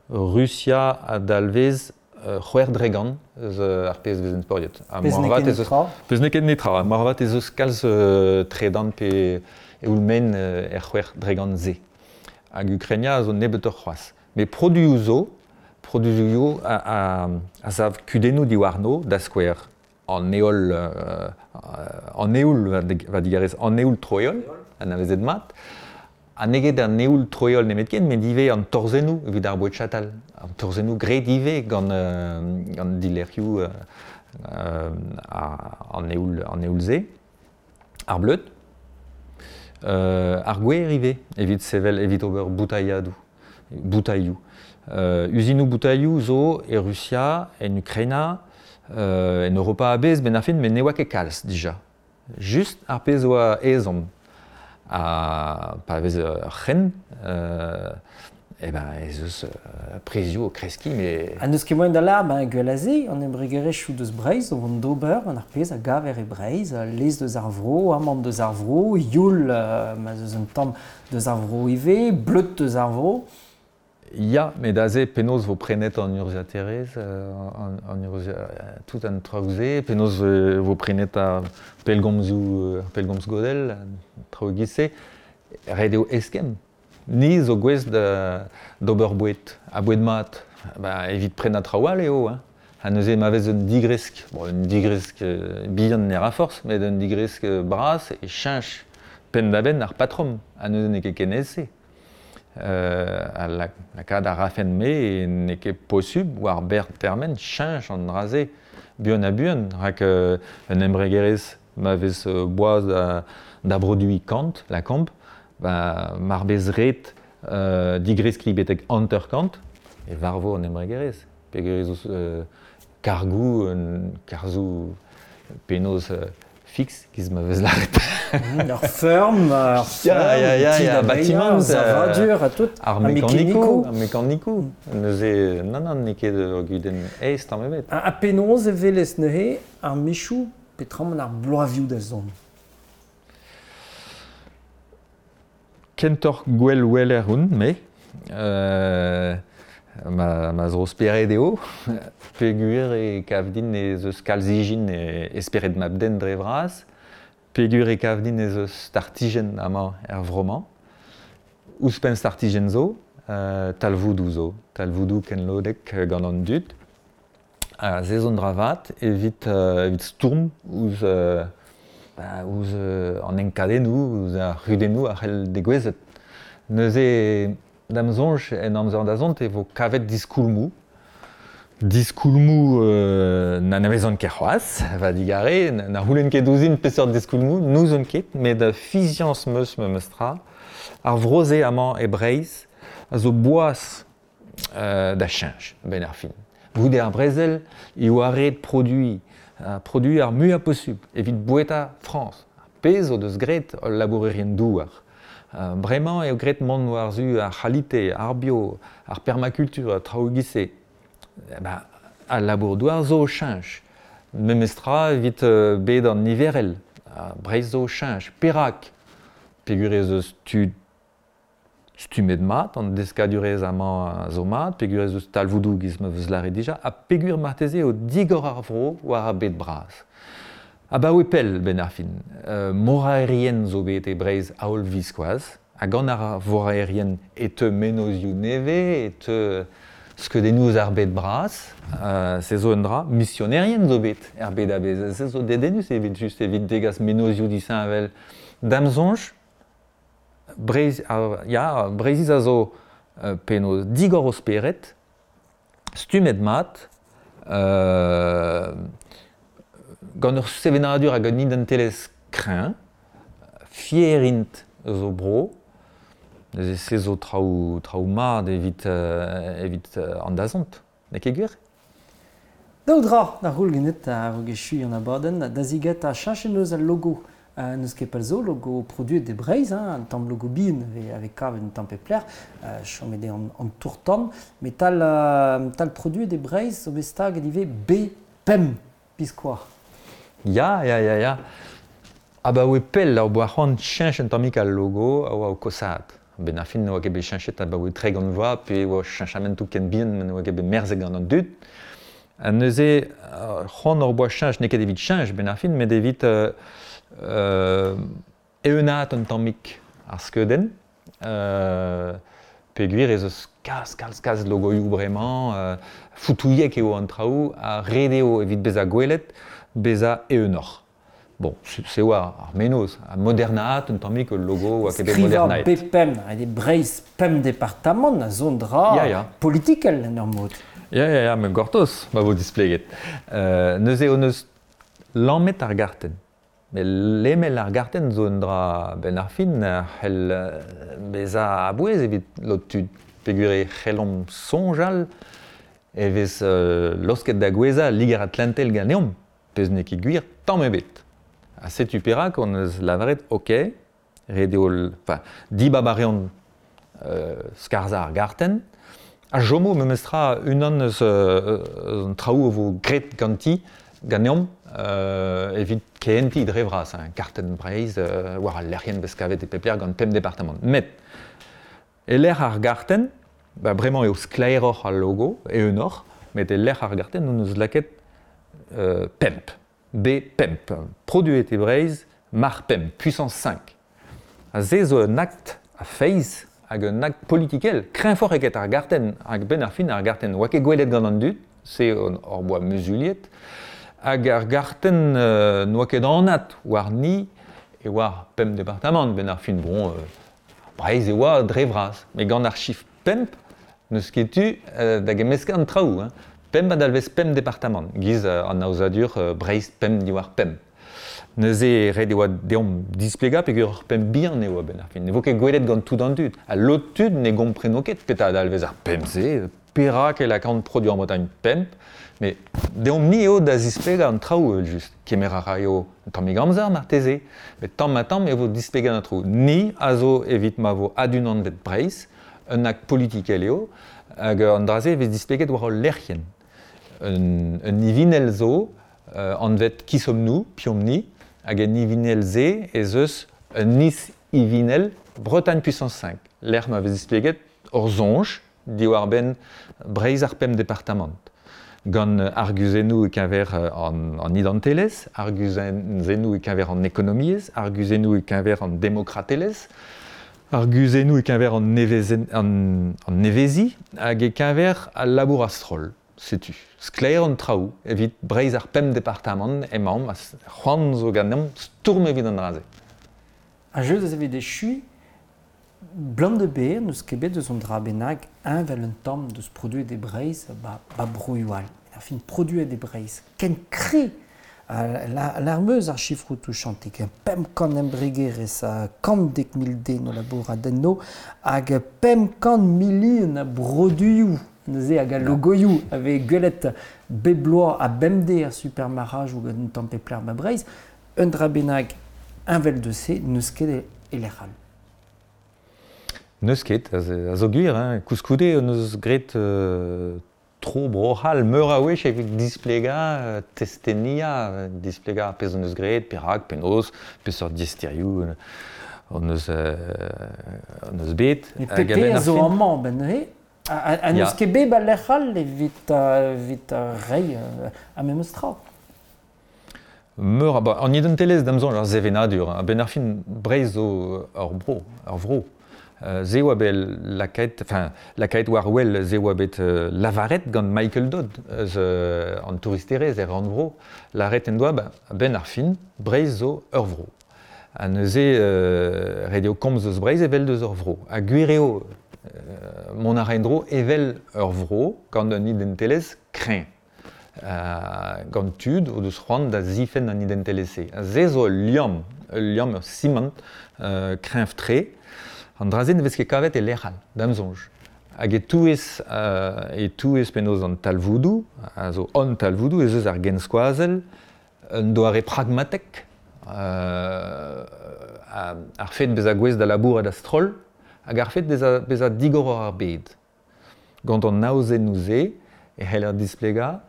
Rusia a dalvez 6% eus ar pezh vez enporzhiet. Ha pezh n'eo ket netra. Pezh n'eo ket netra. Moarvat ez eus kalz tredan pe eoul-maen er 6%-se. Hag Ukraina a zo nebeutoc'h c'hoazh. Met produioù zo, Produioù a sav kudennoù diwarno, da skouer an heol, an eoul, va digarez, an eoul troeol, anavezet mat. Ha n'eo ket an eoul troeol nemetken, met ivez an torzennoù evit ar boued chatal. An torzennoù graet ivez gant dilerc'hioù an eoul-se. Ar bleud. Ar gwer ivez, evit sevel, evit ober boutailhadoù, boutailhoù. Uzinoù boutailhoù zo e Rusia, en Ukraina, en Europa a-bezh benn ar fin, met ne oa ket kalz dija. Just ar pezh oa ezhomm. Ha pa vez ur c'hrenn, eh ben ez eus prizioù o kreskiñ, met... Ha n'eus ket moaien da lâret, ben gwell a se, an embregerezhioù deus Breizh o vont d'ober gant ar pezh a gaver e Breizh, lez deus ar vro, amann deus ar vro, youl ma 'z eus un tamm deus ar vro ivez, bleud deus ar vro. Ya, met aze penaos vo prenet an urzhiataerezh, an tout an traoù-se, penaos vo prenet ar pellgomzoù, pellgomz godell, an traoù e-giz-se, ret eo eskemm. Ni zo gouest d'ober boued, ha boued mat. Ba, evit prenañ traoù all eo, hein. Ha neuze ma vez un digresk, bon, un digresk bihan ne ra forzh, met un digresk bras e cheñch penn-da-benn ar patrom, ha neuze n'eo ket ken aes-se. Ha lakaat a rafen-me n'eo ket posubl war berr termen cheñch an dra-se buan-ha-buan rak un embregerezh ma vez boaz da broduiñ kant, lakaomp, ba mar bez ret digreskiñ betek 50 e varvo an embregerezh peogwir ez eus kargoù, karzhoù penaos fiks, giz ma vez lâret. Ur feurm, ur feurm, bâtiment, savadur ha tout. Ar mekanikoù, ar mekanikoù. Neuze, nann, nann, n'eo ket ur gudenn aes tamm ebet. Ha penaos e welez neuze ar mechoù peotramant ar bloavioù da zont? Kentoc'h gwell weler on, me. Ma zro-spered eo, peogwir e kav din ez eus kalz ijin e spered mab-den dre vras, peogwir e kav din ez eus startijenn amañ er vro-mañ. Ouzhpenn startijenn zo, talvoudoù zo, talvoudoù kenlodek gant an dud. Ha se zo un dra vat evit stourm ouzh ouzh an enkadennoù, ouzh ar c'hudennoù a c'hell degouezhet. Neuze, da'm soñj, en amzer da zont e vo kavet diskoulmoù. Diskoulmoù n'anavezan ket c'hoazh, va digarez, na c'houlenn ket ouzhin peseurt diskoulmoù, n'ouzon ket, met fiziañs 'm eus memes tra. Ar vro-se amañ e Breizh a zo boas da cheñch a-benn ar fin. Goude ar brezel e oa ret produiñ, produiñ ar muiañ posubl evit boueta Frañs, ar pezh o deus graet hol labourerien-douar. Bremañ eo graet mont war-zu ar c'halite, ar bio, ar permakultur, traoù e-giz-se. Ba, al labour-douar zo o cheñch. Memestra evit bed an niverel. Breizh zo o cheñch. Perak? Peogwir ez eus tud stummet mat, an deskadurezh amañ zo mat, peogwir ez eus talvoudoù giz ma vez lâret dija, ha peogwir marteze eo digor ar vro war ar bed bras. Abaoe pell, benn ar fin, moraerien zo bet e Breizh a-holl-viskoazh, ha gant ar voraerien e teu mennozhioù nevez, e teu skeudennoù eus ar bed bras, se zo un dra, misionerien zo bet er bed a-bezh, se zo dedennus evit just evit degas mennozhioù disheñvel. Da'm soñj, Breizh, ya, Breizhiz a zo penaos digor o spered, stummet mat, gant ur sevenadur hag un identelezh kreñv, fier int eus o bro, neuze se zo traoù, traoù mat evit, evit an dazont, n'eo ket gwir? Daou dra da c'houl ganit a-raok echuiñ an abadenn, da zigetañ cheñchet 'neus al logo. N'eus ket pell zo, logo produet e Breizh, hein, un tamm logo bihan a vez kavet un tamm pep lec'h, chomet eo an tour-tan, met tal, tal produet e Breizh zo bet staget ivez B5 biskoazh. Ya, ya, ya, ya. Abaoe pell hor boa c'hoant cheñch un tammig al logo a oa o kosaat. A-benn ar fin ne oa ket bet cheñchet abaoe 30 vloaz pe e oa cheñchamantoù ken bihan ma ne oa ket bet merzet gant an dud. Ha neuze, c'hoant hor boa cheñch, n'eo ket evit cheñch benn ar fin, met evit eeunaat un tammig ar skeudenn. Peogwir ez eus kalz, kalz, kalz logoioù bremañ, foutouilhek eo an traoù ha ret eo evit bezañ gwelet, bezañ eeunoc'h. Bon, se oa ar mennozh, ha modernaat un tammig ul logo oa ket bet modernaet. Skrivañ B5, ret eo Breizh pemp departamant a zo un dra Ya, ya. politikel en ur mod. Ya, ya, ya, met gortoz ma vo displeget. Neuze hon eus lammet ar gartenn. Met lemel ar gartenn zo un dra benn ar fin a c'hell bezañ a-bouez evit lod tud peogwir e c'hellomp soñjal e vez laosket da gouezhañ Liger-Atlantel ganeomp, pezh n'eo ket gwir tamm ebet. Ha setu perak hon eus lavaret ok, ret eo enfin, dibab a reont skarzhañ ar gartenn, a chomo memestra unan eus an traoù a vo graet ganti ganeomp evit kehentiñ dre vras, hein, kartenn Breizh war al lec'hienn vez kavet e pep lec'h gant pemp departamant. Met e-lec'h ar gartenn, ba bremañ eo sklaeroc'h al logo, eeunoc'h, met e-lec'h ar gartenn hon eus lakaet pemp. B5, produet e Breizh, mar pemp, puissance 5. Ha se zo un akt a feiz hag un akt politikel, kreñvoc'h eget ar gartenn, hag benn ar fin ar gartenn oa ket gwelet gant an dud, se hor boa muzuliet, hag ar gartenn n'oa ket anat warni e oa pemp departamant, benn ar fin, bon, Breizh e oa dre vras, met gant ar chifr pemp n'eus ket tu da gemmeskañ an traoù. Hein. Pemp a dalvez pemp departamant, giz an aozadur Breizh pemp diwar pemp. Neuze ret e oa deomp displegañ peogwir ur pemp bihan eo a-benn ar fin. Ne vo ket gwelet gant tout an dud. Ha lod tud ne gompreno ket petra a dalvez ar pemp-se, perak e lakaont Produit en Bretagne pemp, met deomp-ni eo da zisplegañ an traoù evel-just. Kemer a raio un tammig amzer marteze, met tamm-ha-tamm e vo displeget an traoù. Ni a zo evit ma vo adunanvet Breizh, un akt politikel eo, hag an dra-se e vez displeget war ul lec'hienn. Un, un ivinell zo, anvet Qui sommes-nous, Piomp-ni, hag en ivinell-se ez eus un is-ivinell Bretagne puissance 5, lec'h ma vez displeget hor soñj diwar-benn Breizh ar pemp departamant. Gant arguzennoù e-keñver an, an identelezh, arguzennoù e-keñver an ekonomiezh, arguzennoù e-keñver an demokratelezh, arguzennoù e-keñver an, nevezen, an, an neveziñ hag e-keñver al labour a-stroll. Setu, sklaer an traoù evit Breizh ar pemp departamant emaomp ha c'hoant zo ganeomp stourm evit an dra-se. Ha just evit echuiñ, blam da be n'eus ket bet eus an dra bennak heñvel un tamm deus produet e Breizh ba, ba broioù all. Ar fin produet e Breizh. Ken kre L'armeuz ar sifroù touchantik, 500 embregerezh ha 110 000 den o labourat enno hag 500 milion a broduioù neuze hag a logoioù a vez gwelet bep bloaz ha bemdez er supermarc'hadoù gant un tamm pep lec'h ba Breizh. Un dra bennak heñvel deus se n'eus ket e lec'h all. N'eus ket, a zo gwir. Hein. Koulskoude hon eus graet tro Bro-C'hall meur a wech evit displegañ, testenniañ, displegañ ar pezh hon eus graet, perak, penaos, peseurt diaesterioù hon eus, hon eus bet. Met PP a zo amañ ben neuze ha n'eus ket bet ba lec'h all evit, evit reiñ ar memes tra. Meur a ba an identelezh da'm soñj ar sevenadur. A-benn ar fin Breizh zo ur bro, ur vro. Se oa bet lakaet, enfin, lakaet war wel, se oa bet lavaret gant Michael Dodd eus an touristerezh er rannvro. Lavaret en doa, ba, a-benn ar fin, Breizh zo ur vro. Ha neuze, ret eo komz eus Breizh evel deus ur vro. Ha gwir eo, mont a ra en-dro evel ur vro gant un identelezh kreñv. Gant tud o deus c'hoant da zifenn an identelezh-se. Ha se zo ul liamm, ul liamm, ur simant kreñv-tre. An dra-se ne vez ket kavet e lec'h all, da'm soñj. Hag e-touez, e-touez penaos an talvoudoù, a zo hon talvoudoù, ez eus ar genskoazell, un doare pragmatek, ar fed bezañ gouest da labourat a-stroll, hag ar fed bezañ, bezañ digor war ar bed. Gant an aozennoù-se e c'heller displegañ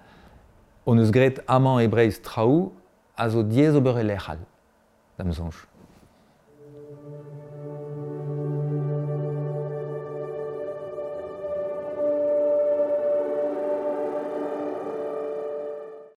hon eus graet amañ e Breizh traoù a zo diaes ober e lec'h all, da'm soñj.